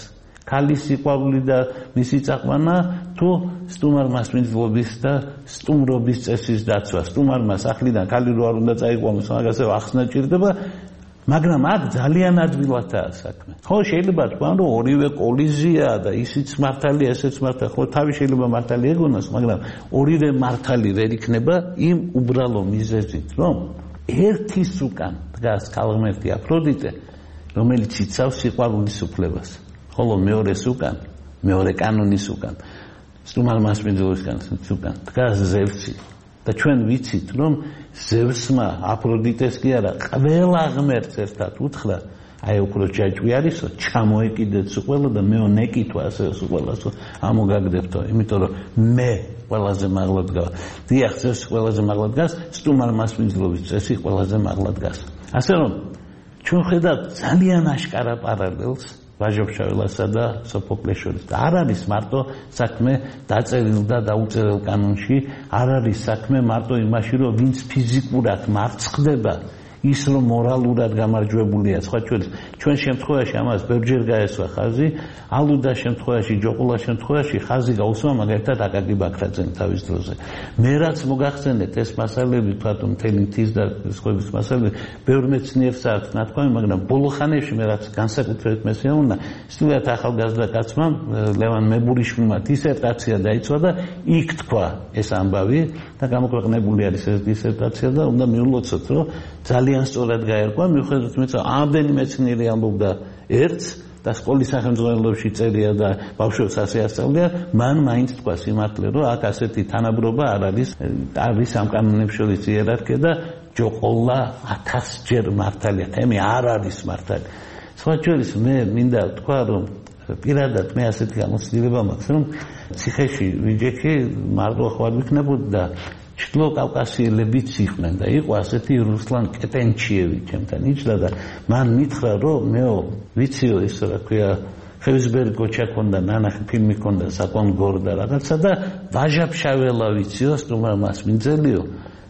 ქალის სიყვარული და მისი წაყვანა თუ სტუმარ-მასპინძლობის და სტუმრობის წესის დაცვა. სტუმარმა სახლიდან ქალი რო არ უნდა წაიყვანოს, მაგასე ახსნა ჭირდება, მაგრამ აქ ძალიან ადვილადაა საქმე. ხო, შეიძლება თქვა, რომ ორივე კოლიზია და ისიც მართალია, ესეც მართალია, ხო, თავი შეიძლება მართალი ეგონოს, მაგრამ ორივე მართალი ვერ იქნება იმ უბრალო მიზეზით, რომ ერთის უკან დგას ქალღმერთი აფროდიტე, რომელიც იცავს სიყვარულის უფლებას. ხოლო მეორეს უკან, მეორე კანონის უკან, სტუმარ-მასპინძლობისგან უკან დგას ზევსი, და ჩვენ ვიცით რომ ზევსმა აფროდიტეს კი არა ყველა ღმერთს ერთად უთხრა აი უფრო ჯაჭვი არისო ჩამოეკიდეთ სულ და მეო ნეკითო ასე სულასო ამოგაგდებთო იმიტომ რომ მე ყველაზე მაღლა დგა დიახ ზევსი ყველაზე მაღლა დგას სტუმარ მასპინძლობის წესი ყველაზე მაღლა დგას ასე რომ ჩვენ ხედავთ ძალიან აშკარა პარალელს ვაჟა-ფშაველასა და სოფოკლეს შორის და არ არის მარტო საქმე დაწერილ და დაუწერელ კანონში არ არის საქმე მარტო იმაში რომ ვინც ფიზიკურად მარცხდება ის რომ მორალურად გამარჯვებულია სხვა ჩვენ შემთხვევაში ამას ბევრჯერ გაესვა ხაზი ალუდას შემთხვევაში ჯოყულას შემთხვევაში ხაზი გაუსვა მაგალითად აკაკი ბაქრაძემ თავის დროზე მე რაც მოგახსენეთ ეს მასალები თვითონ მთელი მთის და სხვების მასალები ბევრ მეცნიერს აქვს ნათქვამი მაგრამ ბოლო ხანებში მე რაც განსაკუთრებით მესიამოვნა სტუდიათ ახალგაზრდა კაცმა ლევან მებურიშვილმა დისერტაცია დაიცვა და იქ თქვა ეს ამბავი და გამოქვეყნებული არის ეს დისერტაცია და უნდა მიულოცოთ რომ ძალიან სწორად გაერკვა მიუხედავად იმისა ამდენი მეცნიერი ამბობდა ერთს და სკოლის სახელმძღვანელოში წერია და ბავშვებს ასე ასწავლია მან მაინც თქვა სიმართლე რომ აქ ასეთი თანაბრობა არ არის ამ კანონებს შორის იერარქია და ჯოყოლა 1000-ჯერ მართალია თემი არ არის მართალი სხვა შორის მე მინდა თქვა რომ პირადად მე ასეთი გამოცდილება მაქვს რომ ციხეში ვიჯექი მარტო ხარ ვიქნებოდი და ჩრდილო კავკასიელებიც იყვნენ და იყო ასეთი რუსლან კეტენჩიევი ჩემთან იჯდა და მან მითხრა რომ მეო ვიციო ის რა ქვია ხევისბერი გოჩა ქონდა ნანახი ფილმი ქონდა საკონ გორ და რაღაცა და ვაჟა-ფშაველა ვიციო სტუმარ მასპინძელიო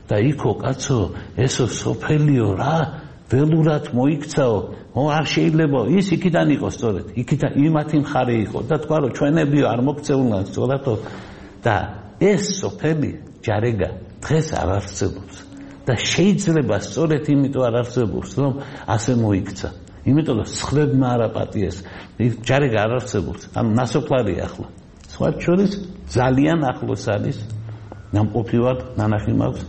და იქო კაცო ესო სოფელიო რა ველურად მოიქცაო არ შეიძლება ის იქიდან იყო სწორედ იქიდან იმათი მხარე იყო და თქვა რომ ჩვენებიო არ მოქცეულან სწორადო და ეს სოფელი ჯარეგა დღეს არ არსებობს და შეიძლება სწორედ იმიტომ არ არსებობს რომ ასე მოიქცა იმიტომ რომ სხვებმა არ აპატიეს ჯარეგა არ არსებობს ანუ ნასოფლარია ახლა სხვა შორის ძალიან ახლოს არის ნამყოფი ვარ ნანახი მაქვს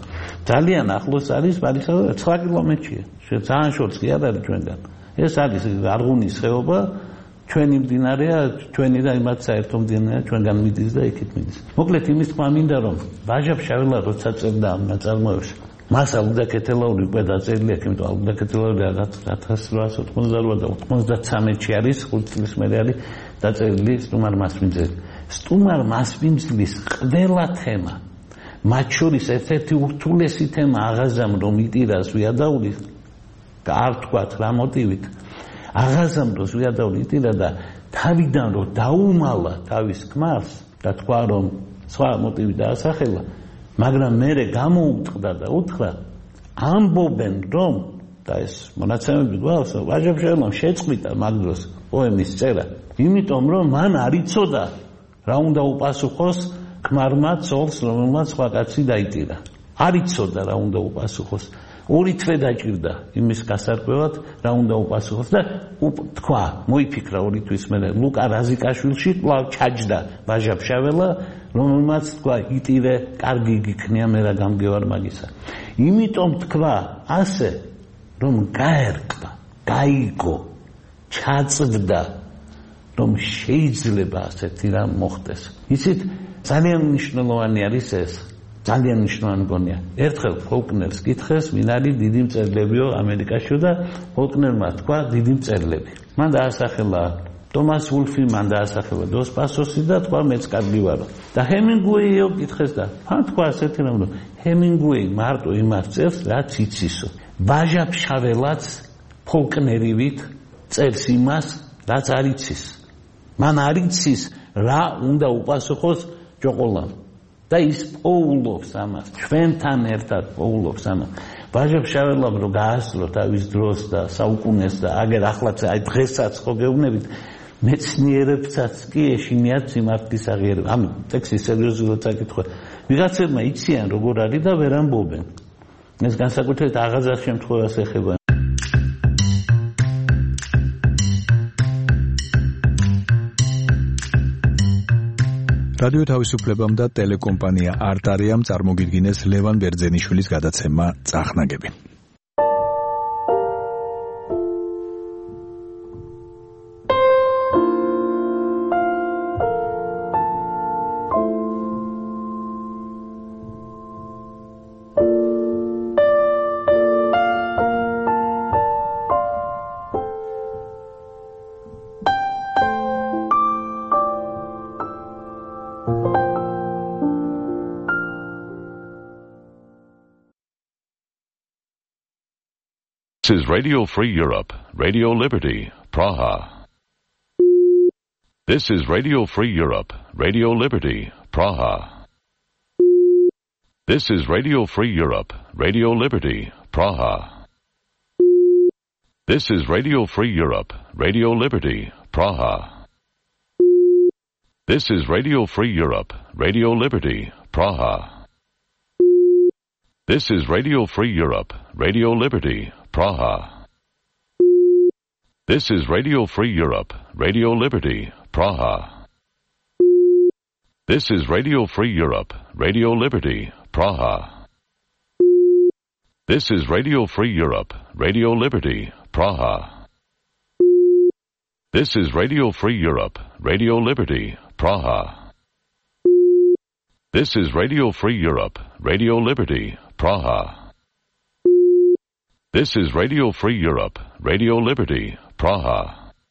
ძალიან ახლოს არის ბარიხა 9 კილომეტრია ძალიან შორს კი არ არის ჩვენგან ეს არის არღუნის ხეობა ჩვენი მდინარეა ჩვენი და იმათ საერთო მდინარეა ჩვენგან მიდის და იქით მიდის მოკლედ იმის თქმა მინდა რომ ვაჟა-ფშაველა როცა წერდა ამ ნაწარმოებში მას ალუდაკეთელაური უკვე დაწერილი აქვს იმიტომ ალუდაკეთელაური 1888 და 93-ში არის 5 წლის მერე არის დაწერილი სტუმარ მასპინძელი სტუმარ მასპინძლის ყველა თემა მათ შორის ერთ-ერთი ურთულესი თემა აღაზამ რომ იტირას ვიადაულის არ თქვათ რა მოტივით აღაზამ დროს ვიადაულიტირა და თავიდან რომ დაუმალა თავის ქმარს და თქვა რომ სხვა მოტივი დაასახელა მაგრამ მერე გამოუტყდა და უთხრა ამბობენ რომ და ეს მონაცემები გვაქვს ვაჟა-ფშაველამ შეწყვიტა მაგ დროს პოემის წერა იმიტომ რომ მან არ იცოდა რა უნდა უპასუხოს ქმარმა ცოლს რომელმაც სხვა კაცი დაიტირა არ იცოდა რა უნდა უპასუხოს ორი თვე დაჭირდა იმის გასარკვევად რა უნდა უპასუხოს და თქვა მოიფიქრა ორი თვის მერე ლუკა რაზიკაშვილში კვლავ ჩაჯდა ვაჟა-ფშაველა რომელმაც თქვა იტირე კარგი გიქნია მე რა გამგევარ მაგისა იმიტომ თქვა ასე რომ გაერკვა გაიგო ჩაწვდა რომ შეიძლება ასეთი რამ მოხდეს იცით ძალიან მნიშვნელოვანი არის ეს ძალიან მნიშვნელოვანი გონია. ერთხელ ფოლკნერს კითხეს, ვინ არის დიდი მწერლებიო ამერიკაშიო და ფოლკნერმა თქვა დიდი მწერლები. მან დაასახელა ტომას ვულფი, მან დაასახელა დოს პასოსი და თქვა მეც კარგი ვარო. და ჰემინგუეიო კითხეს და მან თქვა ასეთი რამ, რომ ჰემინგუეი მარტო იმას წერს, რაც იცისო. ვაჟა-ფშაველაც ფოლკნერივით წერს იმას, რაც არ იცის. მან არ იცის რა უნდა უპასუხოს ჯოყოლამ. და ის პოულობს ამას, ჩვენთან ერთად პოულობს ამას. ვაჟა-ფშაველამ რო გაასწრო თავის დროს და საუკუნეს და აგერ ახლაც აი დღესაც ხო გეუბნებით, მეცნიერებსაც კი ეშინიათ სიმართლის აღიარება. ამ ტექსტი სერიოზულად წაკითხვა. ვიღაცებმა იციან როგორ არის და ვერ ამბობენ. ეს განსაკუთრებით აღაზარს შემთხვევას ეხება. რადიო თავისუფლებამ და ტელეკომპანია არტარიამ წარმოგიდგინეს ლევან ბერძენიშვილის გადაცემა წახნაგები. This is Radio Free Europe, Radio Liberty, Praha. This is Radio Free Europe, Radio Liberty, Praha. This is Radio Free Europe, Radio Liberty, Praha. This is Radio Free Europe, Radio Liberty, Praha. This is Radio Free Europe, Radio Liberty, Praha. This is Radio Free Europe, Radio Liberty, Praha. This is Radio Free Europe, Radio Liberty, Praha. This is Radio Free Europe, Radio Liberty, Praha. This is Radio Free Europe, Radio Liberty, Praha. This is Radio Free Europe, Radio Liberty, Praha. This is Radio Free Europe, Radio Liberty, Praha. This is Radio Free Europe, Radio Liberty, Praha.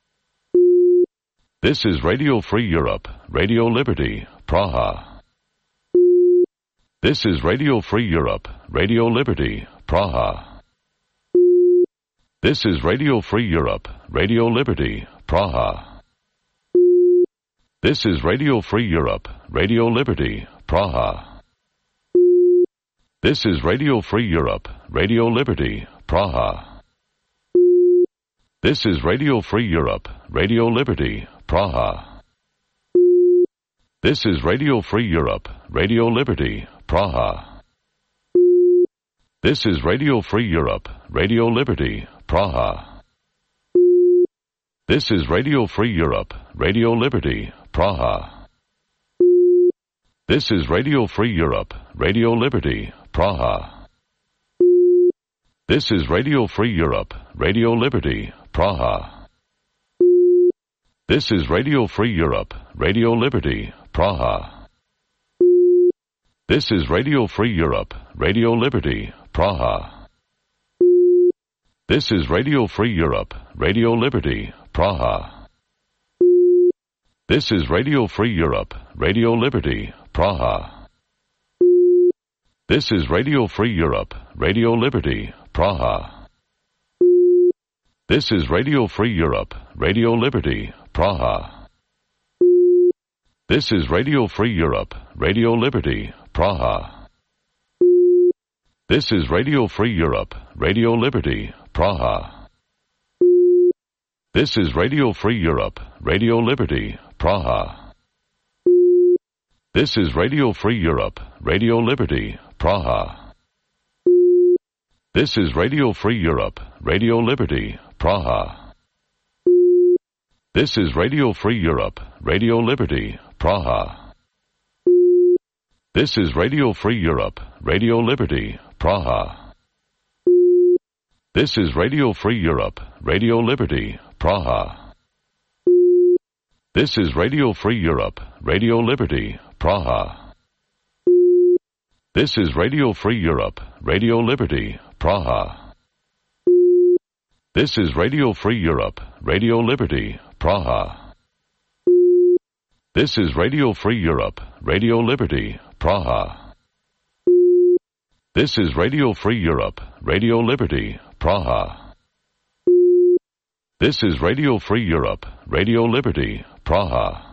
This is Radio Free Europe, Radio Liberty, Praha. This is Radio Free Europe, Radio Liberty, Praha. This is Radio Free Europe, Radio Liberty, Praha. This is Radio Free Europe, Radio Liberty, Praha. This is Radio Free Europe, Radio Liberty, Praha. This is Radio Free Europe, Radio Liberty, Praha. This is Radio Free Europe, Radio Liberty, Praha. This is Radio Free Europe, Radio Liberty, Praha. This is Radio Free Europe, Radio Liberty, Praha. This is Radio Free Europe, Radio Liberty, Praha. This is Radio Free Europe, Radio Liberty, Praha. This is Radio Free Europe, Radio Liberty, Praha. This is Radio Free Europe, Radio Liberty, Praha. This is Radio Free Europe, Radio Liberty, Praha. This is Radio Free Europe, Radio Liberty, Praha. This is Radio Free Europe, Radio Liberty, Praha. This is Radio Free Europe, Radio Liberty, Praha. This is Radio Free Europe, Radio Liberty, Praha. This is Radio Free Europe, Radio Liberty, Praha. This is Radio Free Europe, Radio Liberty, Praha. This is Radio Free Europe, Radio Liberty, Praha. This is Radio Free Europe, Radio Liberty, Praha. This is Radio Free Europe, Radio Liberty, Praha. This is Radio Free Europe, Radio Liberty, Praha. This is Radio Free Europe, Radio Liberty, Praha. This is Radio Free Europe, Radio Liberty, Praha. This is Radio Free Europe, Radio Liberty, Praha. This is Radio Free Europe, Radio Liberty, Praha. This is Radio Free Europe, Radio Liberty, Praha. This is Radio Free Europe, Radio Liberty, Praha. This is Radio Free Europe, Radio Liberty, Praha.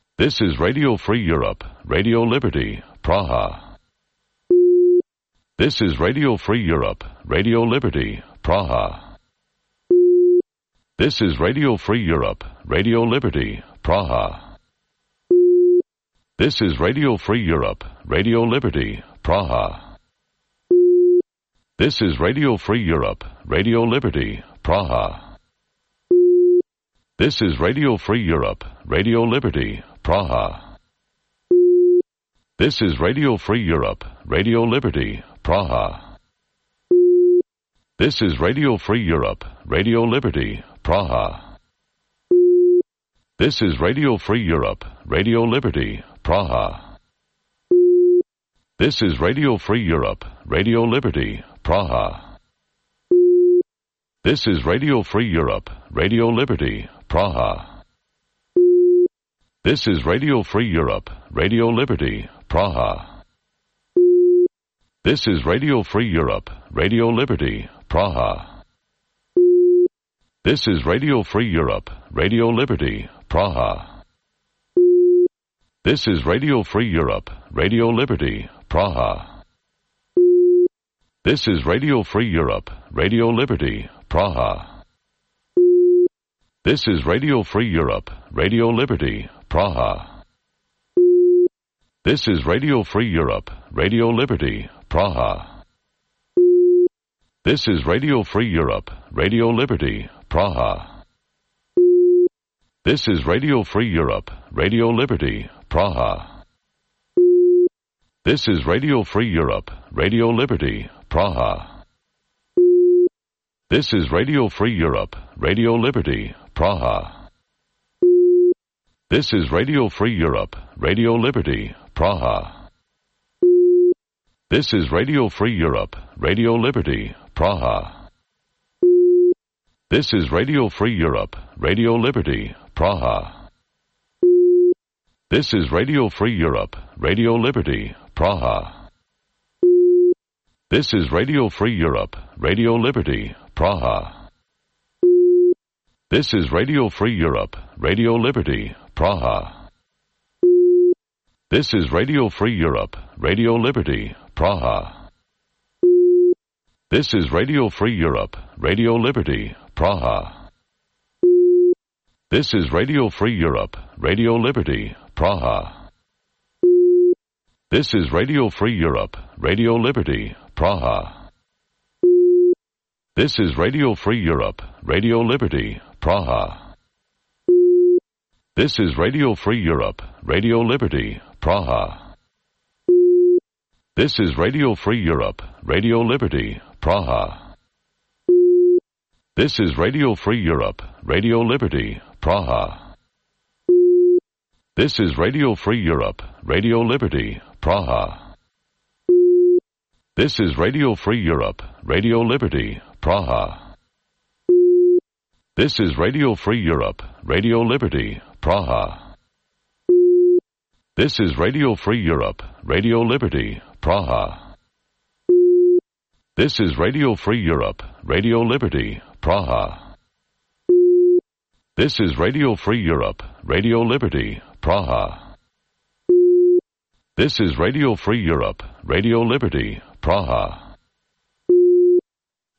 This is Radio Free Europe, Radio Liberty, Praha. This is Radio Free Europe, Radio Liberty, Praha. This is Radio Free Europe, Radio Liberty, Praha. This is Radio Free Europe, Radio Liberty, Praha. This is Radio Free Europe, Radio Liberty, Praha. This is Radio Free Europe, Radio Liberty, Praha. This is Radio Free Europe, Radio Liberty, Praha. This is Radio Free Europe, Radio Liberty, Praha. This is Radio Free Europe, Radio Liberty, Praha. This is Radio Free Europe, Radio Liberty, Praha. This is Radio Free Europe, Radio Liberty, Praha. This is Radio Free Europe, Radio Liberty, Praha. This is Radio Free Europe, Radio Liberty, Praha. This is Radio Free Europe, Radio Liberty, Praha. This is Radio Free Europe, Radio Liberty, Praha. This is Radio Free Europe, Radio Liberty, Praha. This is Radio Free Europe, Radio Liberty, Praha. This is Radio Free Europe, Radio Liberty, Praha. This is Radio Free Europe, Radio Liberty, Praha. This is Radio Free Europe, Radio Liberty, Praha. This is Radio Free Europe, Radio Liberty, Praha. This is Radio Free Europe, Radio Liberty, Praha. This is Radio Free Europe, Radio Liberty, Praha. This is Radio Free Europe, Radio Liberty, Praha. This is Radio Free Europe, Radio Liberty, Praha. This is Radio Free Europe, Radio Liberty, Praha. This is Radio Free Europe, Radio Liberty, Praha. This is Radio Free Europe, Radio Liberty, Praha. This is Radio Free Europe, Radio Liberty, Praha. This is Radio Free Europe, Radio Liberty, Praha. This is Radio Free Europe, Radio Liberty, Praha. This is Radio Free Europe, Radio Liberty, Praha. This is Radio Free Europe, Radio Liberty, Praha. This is Radio Free Europe, Radio Liberty, Praha. This is Radio Free Europe, Radio Liberty, Praha. This is Radio Free Europe, Radio Liberty, Praha. This is Radio Free Europe, Radio Liberty, Praha. This is Radio Free Europe, Radio Liberty, Praha. This is Radio Free Europe, Radio Liberty, Praha. This is Radio Free Europe, Radio Liberty, Praha. This is Radio Free Europe, Radio Liberty, Praha. This is Radio Free Europe, Radio Liberty, Praha. This is Radio Free Europe, Radio Liberty, Praha.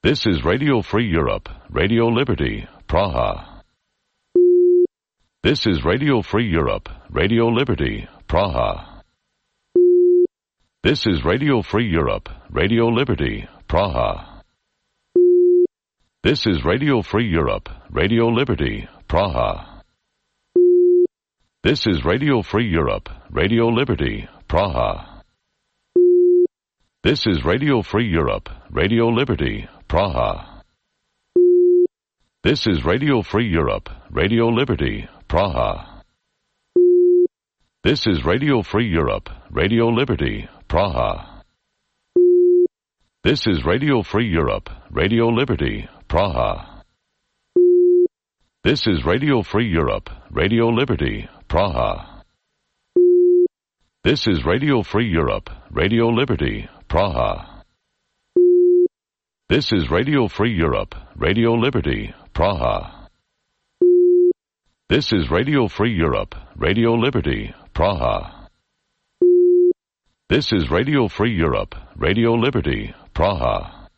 This is Radio Free Europe, Radio Liberty, Praha. This is Radio Free Europe, Radio Liberty, Praha. This is Radio Free Europe, Radio Liberty, Praha. This is Radio Free Europe, Radio Liberty, Praha. This is Radio Free Europe, Radio Liberty, Praha. This is Radio Free Europe, Radio Liberty, Praha. This is Radio Free Europe, Radio Liberty, Praha. This is Radio Free Europe, Radio Liberty, Praha. This is Radio Free Europe, Radio Liberty, Praha. This is Radio Free Europe, Radio Liberty, Praha. This is Radio Free Europe, Radio Liberty, Praha. This is Radio Free Europe, Radio Liberty, Praha. This is Radio Free Europe, Radio Liberty, Praha. This is Radio Free Europe, Radio Liberty, Praha.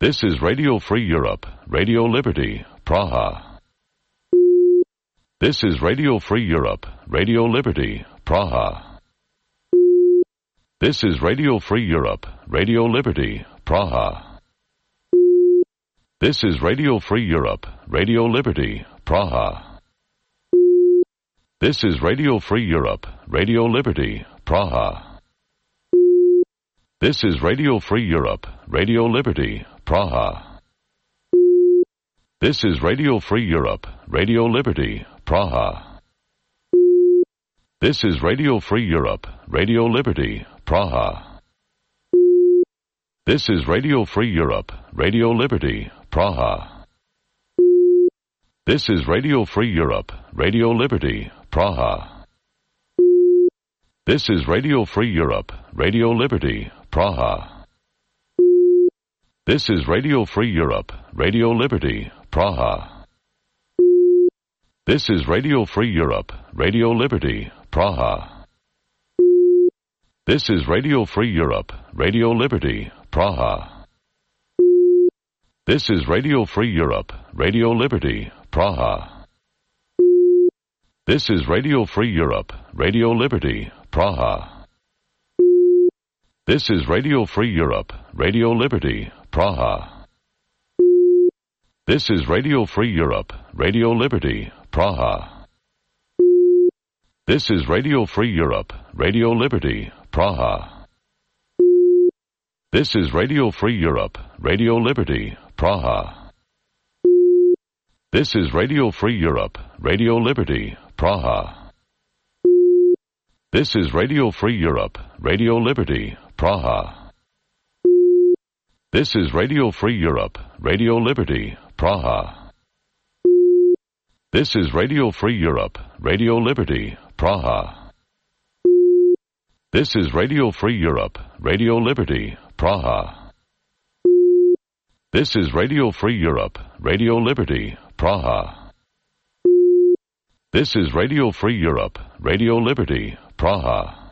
This is Radio Free Europe, Radio Liberty, Praha. This is Radio Free Europe, Radio Liberty, Praha. This is Radio Free Europe, Radio Liberty, Praha. This is Radio Free Europe, Radio Liberty, Praha. This is Radio Free Europe, Radio Liberty, Praha. This is Radio Free Europe, Radio Liberty, Praha. This is Radio Free Europe, Radio Liberty, Praha. This is Radio Free Europe, Radio Liberty, Praha. This is Radio Free Europe, Radio Liberty, Praha. This is Radio Free Europe, Radio Liberty, Praha. This is Radio Free Europe, Radio Liberty, Praha. This is Radio Free Europe, Radio Liberty, Praha. This is Radio Free Europe, Radio Liberty, Praha. This is Radio Free Europe, Radio Liberty, Praha. This is Radio Free Europe, Radio Liberty, Praha. This is Radio Free Europe, Radio Liberty, Praha. This is Radio Free Europe, Radio Liberty, Praha. This is Radio Free Europe, Radio Liberty, Praha. This is Radio Free Europe, Radio Liberty, Praha. This is Radio Free Europe, Radio Liberty, Praha. This is Radio Free Europe, Radio Liberty, Praha. This is Radio Free Europe, Radio Liberty, Praha. This is Radio Free Europe, Radio Liberty, Praha. This is Radio Free Europe, Radio Liberty, Praha. This is Radio Free Europe, Radio Liberty, Praha. This is Radio Free Europe, Radio Liberty, Praha. This is Radio Free Europe, Radio Liberty, Praha.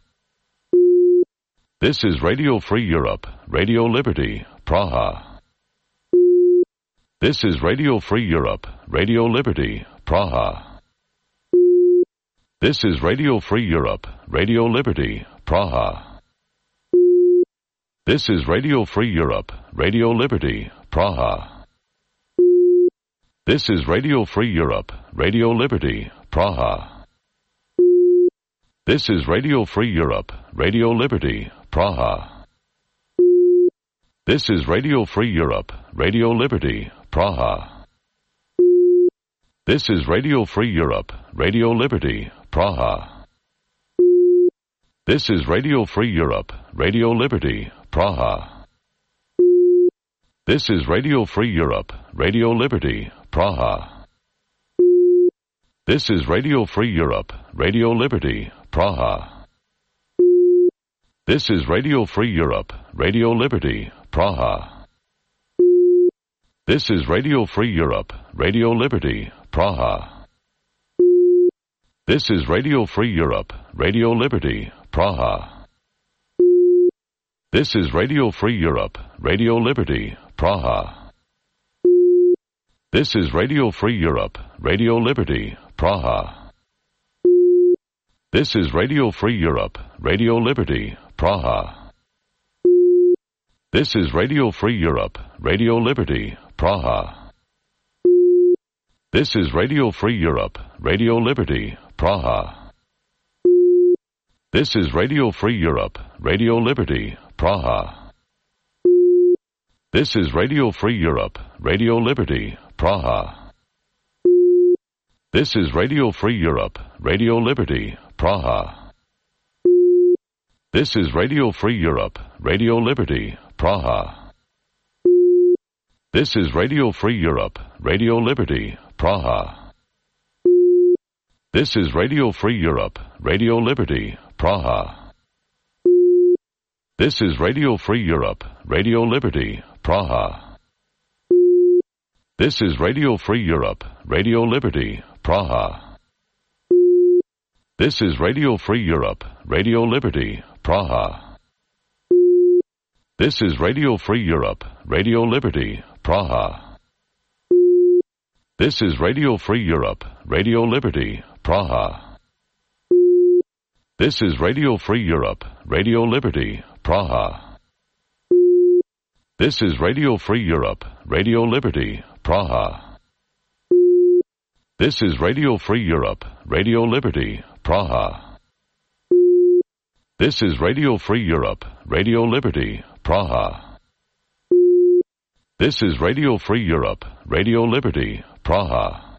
This is Radio Free Europe, Radio Liberty, Praha. This is Radio Free Europe, Radio Liberty, Praha. This is Radio Free Europe, Radio Liberty, Praha. This is Radio Free Europe, Radio Liberty, Praha. This is Radio Free Europe, Radio Liberty, Praha. This is Radio Free Europe, Radio Liberty, Praha. This is Radio Free Europe, Radio Liberty, Praha. This is Radio Free Europe, Radio Liberty, Praha. This is Radio Free Europe, Radio Liberty, Praha. This is Radio Free Europe, Radio Liberty, Praha. This is Radio Free Europe, Radio Liberty, Praha. This is Radio Free Europe, Radio Liberty, Praha. This is Radio Free Europe, Radio Liberty, Praha. This is Radio Free Europe, Radio Liberty, Praha. This is Radio Free Europe, Radio Liberty, Praha. This is Radio Free Europe, Radio Liberty, Praha. This is Radio Free Europe, Radio Liberty, Praha. This is Radio Free Europe, Radio Liberty, Praha. This is Radio Free Europe, Radio Liberty, Praha. This is Radio Free Europe, Radio Liberty, Praha. This is Radio Free Europe, Radio Liberty, Praha. This is Radio Free Europe, Radio Liberty, Praha. This is Radio Free Europe, Radio Liberty, Praha. This is Radio Free Europe, Radio Liberty, Praha. This is Radio Free Europe, Radio Liberty, Praha. This is Radio Free Europe, Radio Liberty, Praha. This is Radio Free Europe, Radio Liberty, Praha. This is Radio Free Europe, Radio Liberty, Praha. This is Radio Free Europe, Radio Liberty, Praha. This is Radio Free Europe, Radio Liberty, Praha. This is Radio Free Europe, Radio Liberty, Praha. This is Radio Free Europe, Radio Liberty, Praha. This is Radio Free Europe, Radio Liberty, Praha. This is Radio Free Europe, Radio Liberty, Praha. This is Radio Free Europe, Radio Liberty, Praha.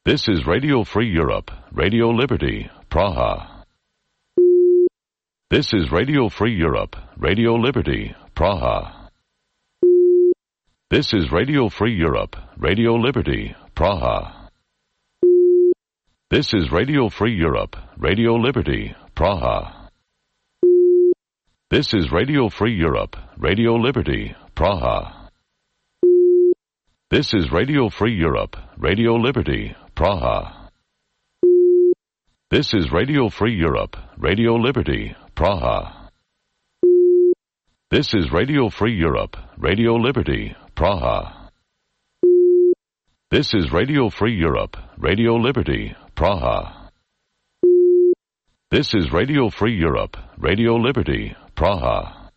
This is Radio Free Europe, Radio Liberty, Praha. This is Radio Free Europe, Radio Liberty, Praha. This is Radio Free Europe, Radio Liberty, Praha. This is Radio Free Europe, Radio Liberty, Praha. This is Radio Free Europe, Radio Liberty, Praha. This is Radio Free Europe, Radio Liberty, Praha. This is Radio Free Europe, Radio Liberty, Praha. This is Radio Free Europe, Radio Liberty, Praha. This is Radio Free Europe, Radio Liberty, Praha. This is Radio Free Europe, Radio Liberty, Praha.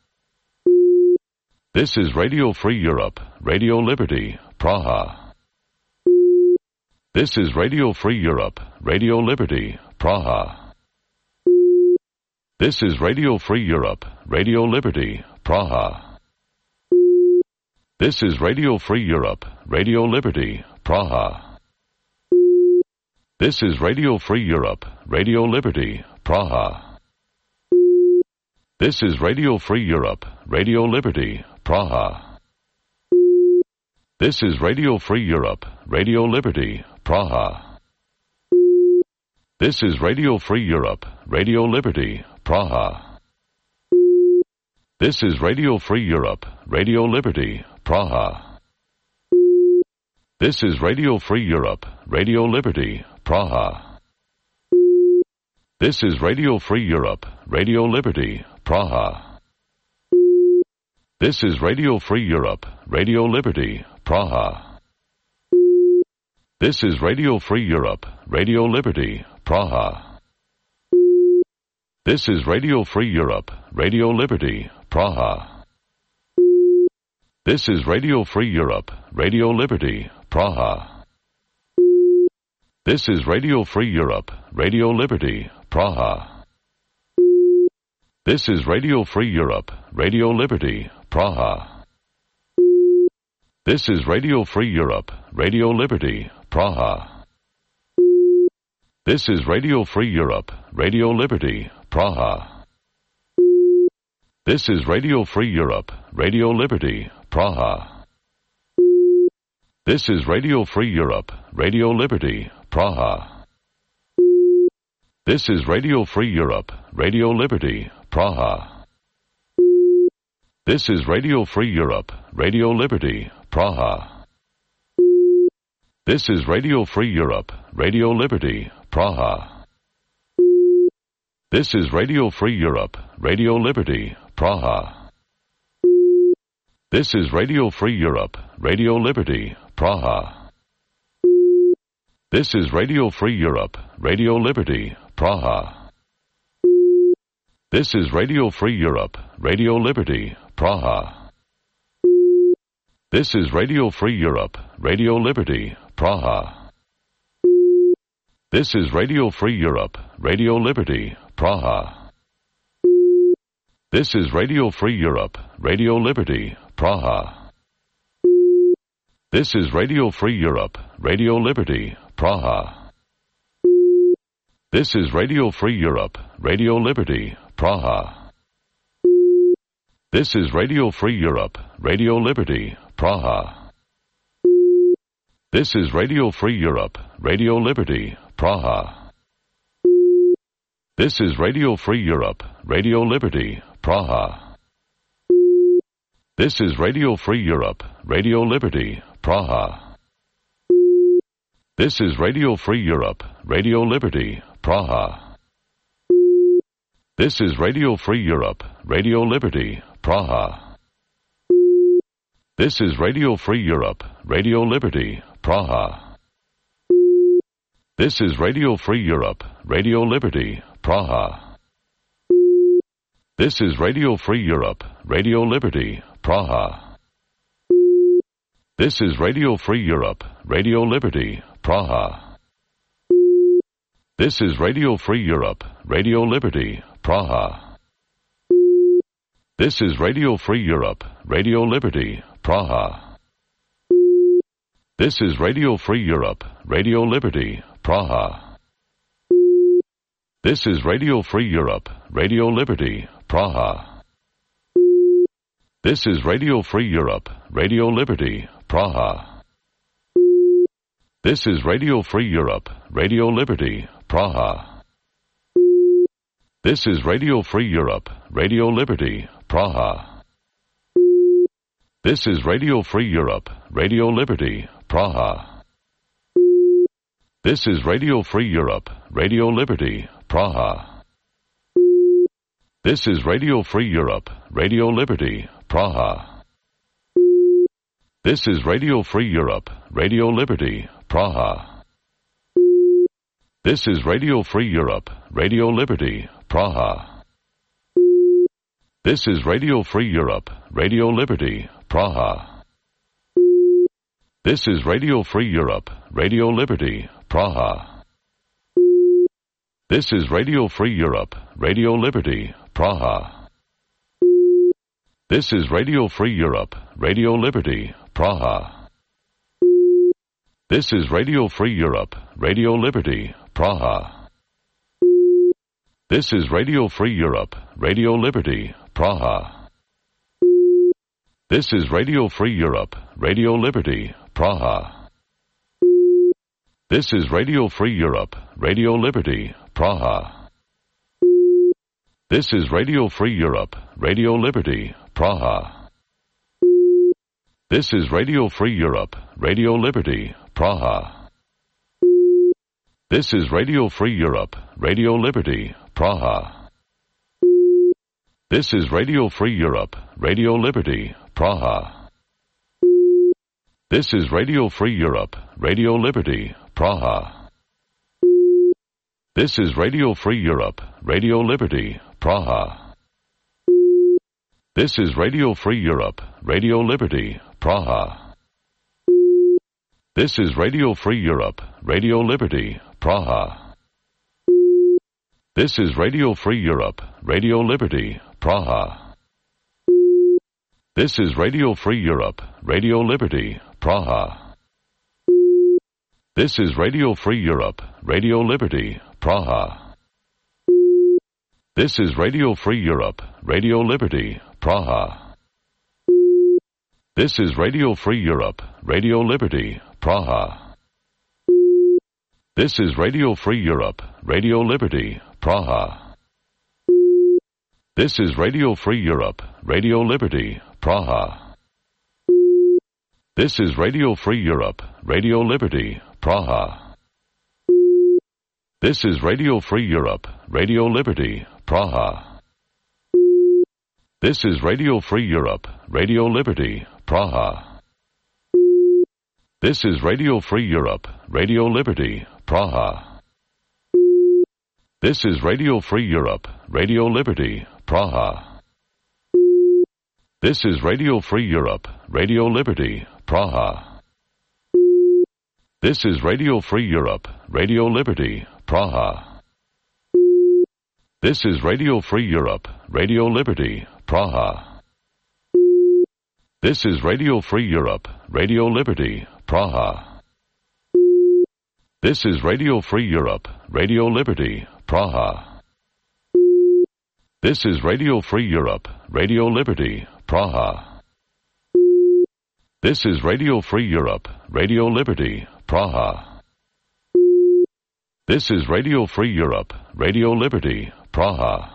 This is Radio Free Europe, Radio Liberty, Praha. This is Radio Free Europe, Radio Liberty, Praha. This is Radio Free Europe, Radio Liberty, Praha. This is Radio Free Europe, Radio Liberty, Praha. This is Radio Free Europe, Radio Liberty, Praha. This is Radio Free Europe, Radio Liberty, Praha. This is Radio Free Europe, Radio Liberty, Praha. This is Radio Free Europe, Radio Liberty, Praha. This is Radio Free Europe, Radio Liberty, Praha. This is Radio Free Europe, Radio Liberty, Praha. This is Radio Free Europe, Radio Liberty, Praha. This is Radio Free Europe, Radio Liberty, Praha. This is Radio Free Europe, Radio Liberty, Praha. This is Radio Free Europe, Radio Liberty, Praha. This is Radio Free Europe, Radio Liberty, Praha. This is Radio Free Europe, Radio Liberty, Praha. This is Radio Free Europe, Radio Liberty, Praha. This is Radio Free Europe, Radio Liberty, Praha. This is Radio Free Europe, Radio Liberty, Praha. This is Radio Free Europe, Radio Liberty, Praha. This is Radio Free Europe, Radio Liberty, Praha. This is Radio Free Europe, Radio Liberty, Praha. This is Radio Free Europe, Radio Liberty, Praha. This is Radio Free Europe, Radio Liberty, Praha. This is Radio Free Europe, Radio Liberty, Praha. This is Radio Free Europe, Radio Liberty, Praha. This is Radio Free Europe, Radio Liberty, Praha. This is Radio Free Europe, Radio Liberty, Praha. This is Radio Free Europe, Radio Liberty, Praha. This is Radio Free Europe, Radio Liberty, Praha. This is Radio Free Europe, Radio Liberty, Praha. This is Radio Free Europe, Radio Liberty, Praha. This is Radio Free Europe, Radio Liberty, Praha. This is Radio Free Europe, Radio Liberty, Praha. This is Radio Free Europe, Radio Liberty, Praha. This is Radio Free Europe, Radio Liberty, Praha. This is Radio Free Europe, Radio Liberty, Praha. This is Radio Free Europe, Radio Liberty, Praha. This is Radio Free Europe, Radio Liberty, Praha. This is Radio Free Europe, Radio Liberty, Praha. This is Radio Free Europe, Radio Liberty, Praha. This is Radio Free Europe, Radio Liberty, Praha. This is Radio Free Europe, Radio Liberty, Praha. This is Radio Free Europe, Radio Liberty, Praha. This is Radio Free Europe, Radio Liberty, Praha. This is Radio Free Europe, Radio Liberty, Praha. This is Radio Free Europe, Radio Liberty, Praha. This is Radio Free Europe, Radio Liberty, Praha. This is Radio Free Europe, Radio Liberty, Praha. This is Radio Free Europe, Radio Liberty, Praha. This is Radio Free Europe, Radio Liberty, Praha. This is Radio Free Europe, Radio Liberty, Praha. This is Radio Free Europe, Radio Liberty, Praha. This is Radio Free Europe, Radio Liberty, Praha. This is Radio Free Europe, Radio Liberty, Praha. This is Radio Free Europe, Radio Liberty, Praha. This is Radio Free Europe, Radio Liberty, Praha. This is Radio Free Europe, Radio Liberty, Praha. This is Radio Free Europe, Radio Liberty, Praha. This is Radio Free Europe, Radio Liberty, Praha. This is Radio Free Europe, Radio Liberty, Praha. This is Radio Free Europe, Radio Liberty, Praha. This is Radio Free Europe, Radio Liberty, Praha. This is Radio Free Europe, Radio Liberty, Praha. This is Radio Free Europe, Radio Liberty, Praha. This is Radio Free Europe, Radio Liberty, Praha. This is Radio Free Europe, Radio Liberty, Praha. This is Radio Free Europe, Radio Liberty, Praha. This is Radio Free Europe, Radio Liberty, Praha. This is Radio Free Europe, Radio Liberty, Praha. This is Radio Free Europe, Radio Liberty, Praha. This is Radio Free Europe, Radio Liberty, Praha. This is Radio Free Europe, Radio Liberty, Praha. This is Radio Free Europe, Radio Liberty, Praha. This is Radio Free Europe, Radio Liberty, Praha. This is Radio Free Europe, Radio Liberty, Praha. This is Radio Free Europe, Radio Liberty, Praha. This is Radio Free Europe, Radio Liberty, Praha. This is Radio Free Europe, Radio Liberty, Praha. This is Radio Free Europe, Radio Liberty, Praha. This is Radio Free Europe, Radio Liberty, Praha. This is Radio Free Europe, Radio Liberty, Praha. This is Radio Free Europe, Radio Liberty, Praha. This is Radio Free Europe, Radio Liberty, Praha. This is Radio Free Europe, Radio Liberty, Praha. This is Radio Free Europe, Radio Liberty, Praha. This is Radio Free Europe, Radio Liberty, Praha. This is Radio Free Europe, Radio Liberty, Praha. This is Radio Free Europe, Radio Liberty, Praha. This is Radio Free Europe, Radio Liberty, Praha. This is Radio Free Europe, Radio Liberty, Praha.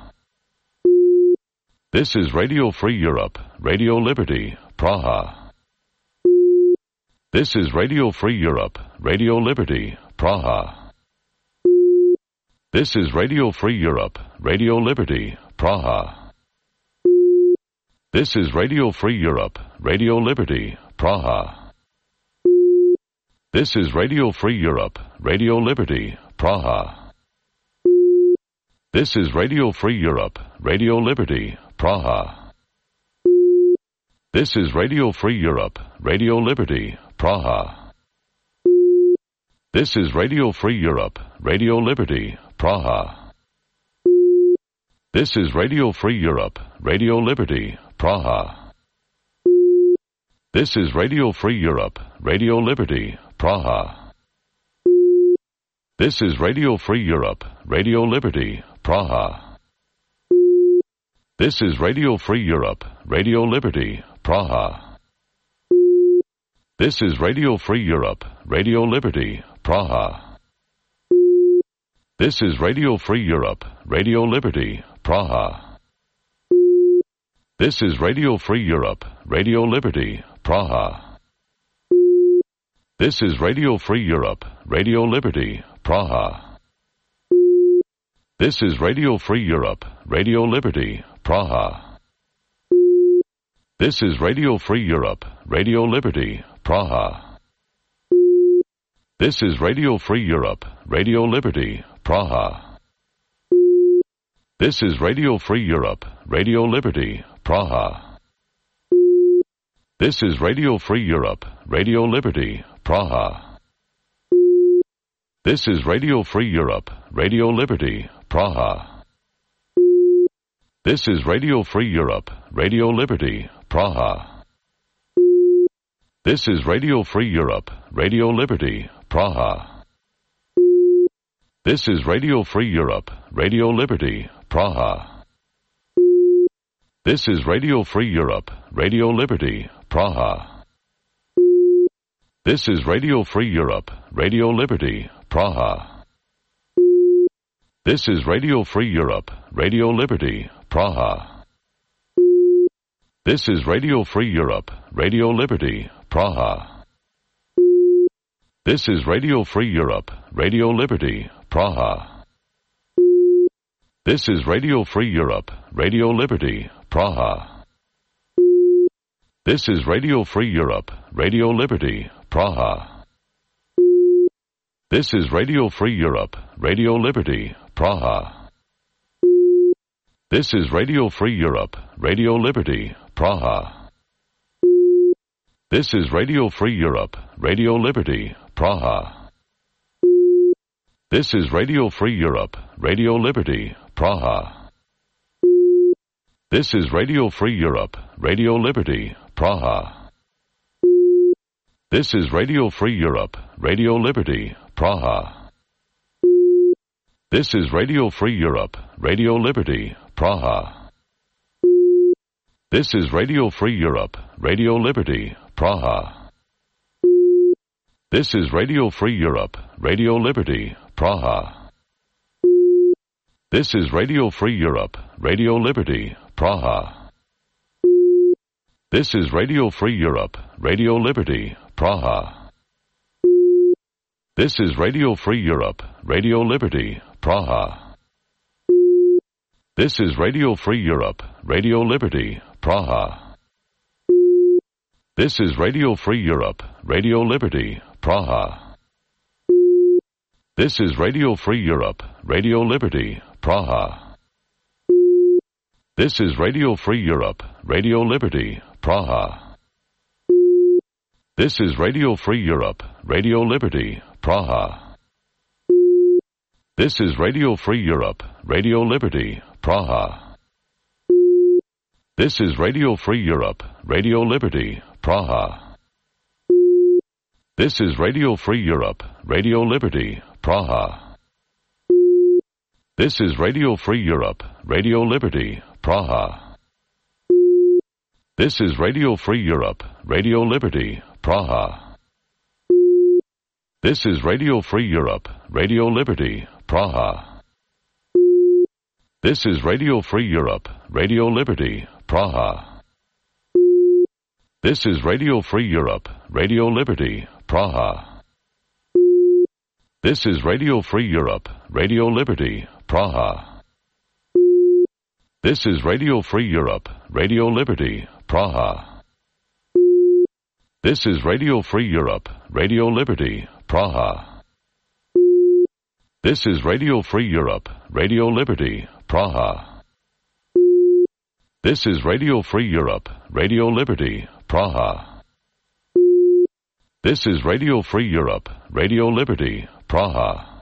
This is Radio Free Europe, Radio Liberty, Praha. This is Radio Free Europe, Radio Liberty, Praha. This is Radio Free Europe, Radio Liberty, Praha. This is Radio Free Europe, Radio Liberty, Praha. This is Radio Free Europe, Radio Liberty, Praha. This is Radio Free Europe, Radio Liberty, Praha. This is Radio Free Europe, Radio Liberty, Praha. This is Radio Free Europe, Radio Liberty, Praha. This is Radio Free Europe, Radio Liberty, Praha. This is Radio Free Europe, Radio Liberty, Praha. This is Radio Free Europe, Radio Liberty, Praha. This is Radio Free Europe, Radio Liberty, Praha. This is Radio Free Europe, Radio Liberty, Praha. This is Radio Free Europe, Radio Liberty, Praha. This is Radio Free Europe, Radio Liberty, Praha. This is Radio Free Europe, Radio Liberty, Praha. This is Radio Free Europe, Radio Liberty, Praha. This is Radio Free Europe, Radio Liberty, Praha. This is Radio Free Europe, Radio Liberty, Praha. This is Radio Free Europe, Radio Liberty, Praha. This is Radio Free Europe, Radio Liberty, Praha. This is Radio Free Europe, Radio Liberty, Praha. This is Radio Free Europe, Radio Liberty, Praha. This is Radio Free Europe, Radio Liberty, Praha. This is Radio Free Europe, Radio Liberty, Praha. This is Radio Free Europe, Radio Liberty, Praha. This is Radio Free Europe, Radio Liberty, Praha. This is Radio Free Europe, Radio Liberty, Praha. This is Radio Free Europe, Radio Liberty, Praha. This is Radio Free Europe, Radio Liberty, Praha. This is Radio Free Europe, Radio Liberty, Praha. This is Radio Free Europe, Radio Liberty, Praha. This is Radio Free Europe, Radio Liberty, Praha. This is Radio Free Europe, Radio Liberty, Praha. This is Radio Free Europe, Radio Liberty, Praha. This is Radio Free Europe, Radio Liberty, Praha. This is Radio Free Europe, Radio Liberty, Praha. This is Radio Free Europe, Radio Liberty, Praha. This is Radio Free Europe, Radio Liberty, Praha. This is Radio Free Europe, Radio Liberty, Praha. This is Radio Free Europe, Radio Liberty, Praha. This is Radio Free Europe, Radio Liberty, Praha. This is Radio Free Europe, Radio Liberty, Praha. This is Radio Free Europe, Radio Liberty, Praha. This is Radio Free Europe, Radio Liberty, Praha. This is Radio Free Europe, Radio Liberty, Praha. This is Radio Free Europe, Radio Liberty, Praha. This is Radio Free Europe, Radio Liberty, Praha. This is Radio Free Europe, Radio Liberty, Praha. This is Radio Free Europe, Radio Liberty, Praha. This is Radio Free Europe, Radio Liberty, Praha. This is Radio Free Europe, Radio Liberty, Praha. This is Radio Free Europe, Radio Liberty, Praha. This is Radio Free Europe, Radio Liberty, Praha. This is Radio Free Europe, Radio Liberty, Praha. This is Radio Free Europe, Radio Liberty, Praha. This is Radio Free Europe, Radio Liberty, Praha. This is Radio Free Europe, Radio Liberty, Praha. This is Radio Free Europe, Radio Liberty, Praha. This is Radio Free Europe, Radio Liberty, Praha. This is Radio Free Europe, Radio Liberty, Praha. This is Radio Free Europe, Radio Liberty, Praha. This is Radio Free Europe, Radio Liberty, Praha.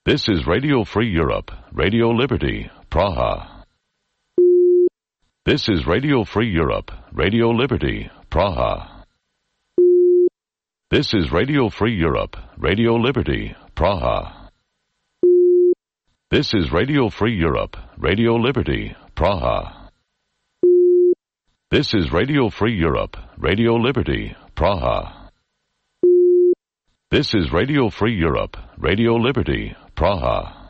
This is Radio Free Europe, Radio Liberty, Praha. This is Radio Free Europe, Radio Liberty, Praha. This is Radio Free Europe, Radio Liberty, Praha. This is Radio Free Europe, Radio Liberty, Praha. This is Radio Free Europe, Radio Liberty, Praha. This is Radio Free Europe, Radio Liberty, Praha.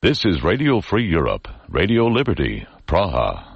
This is Radio Free Europe, Radio Liberty, Praha.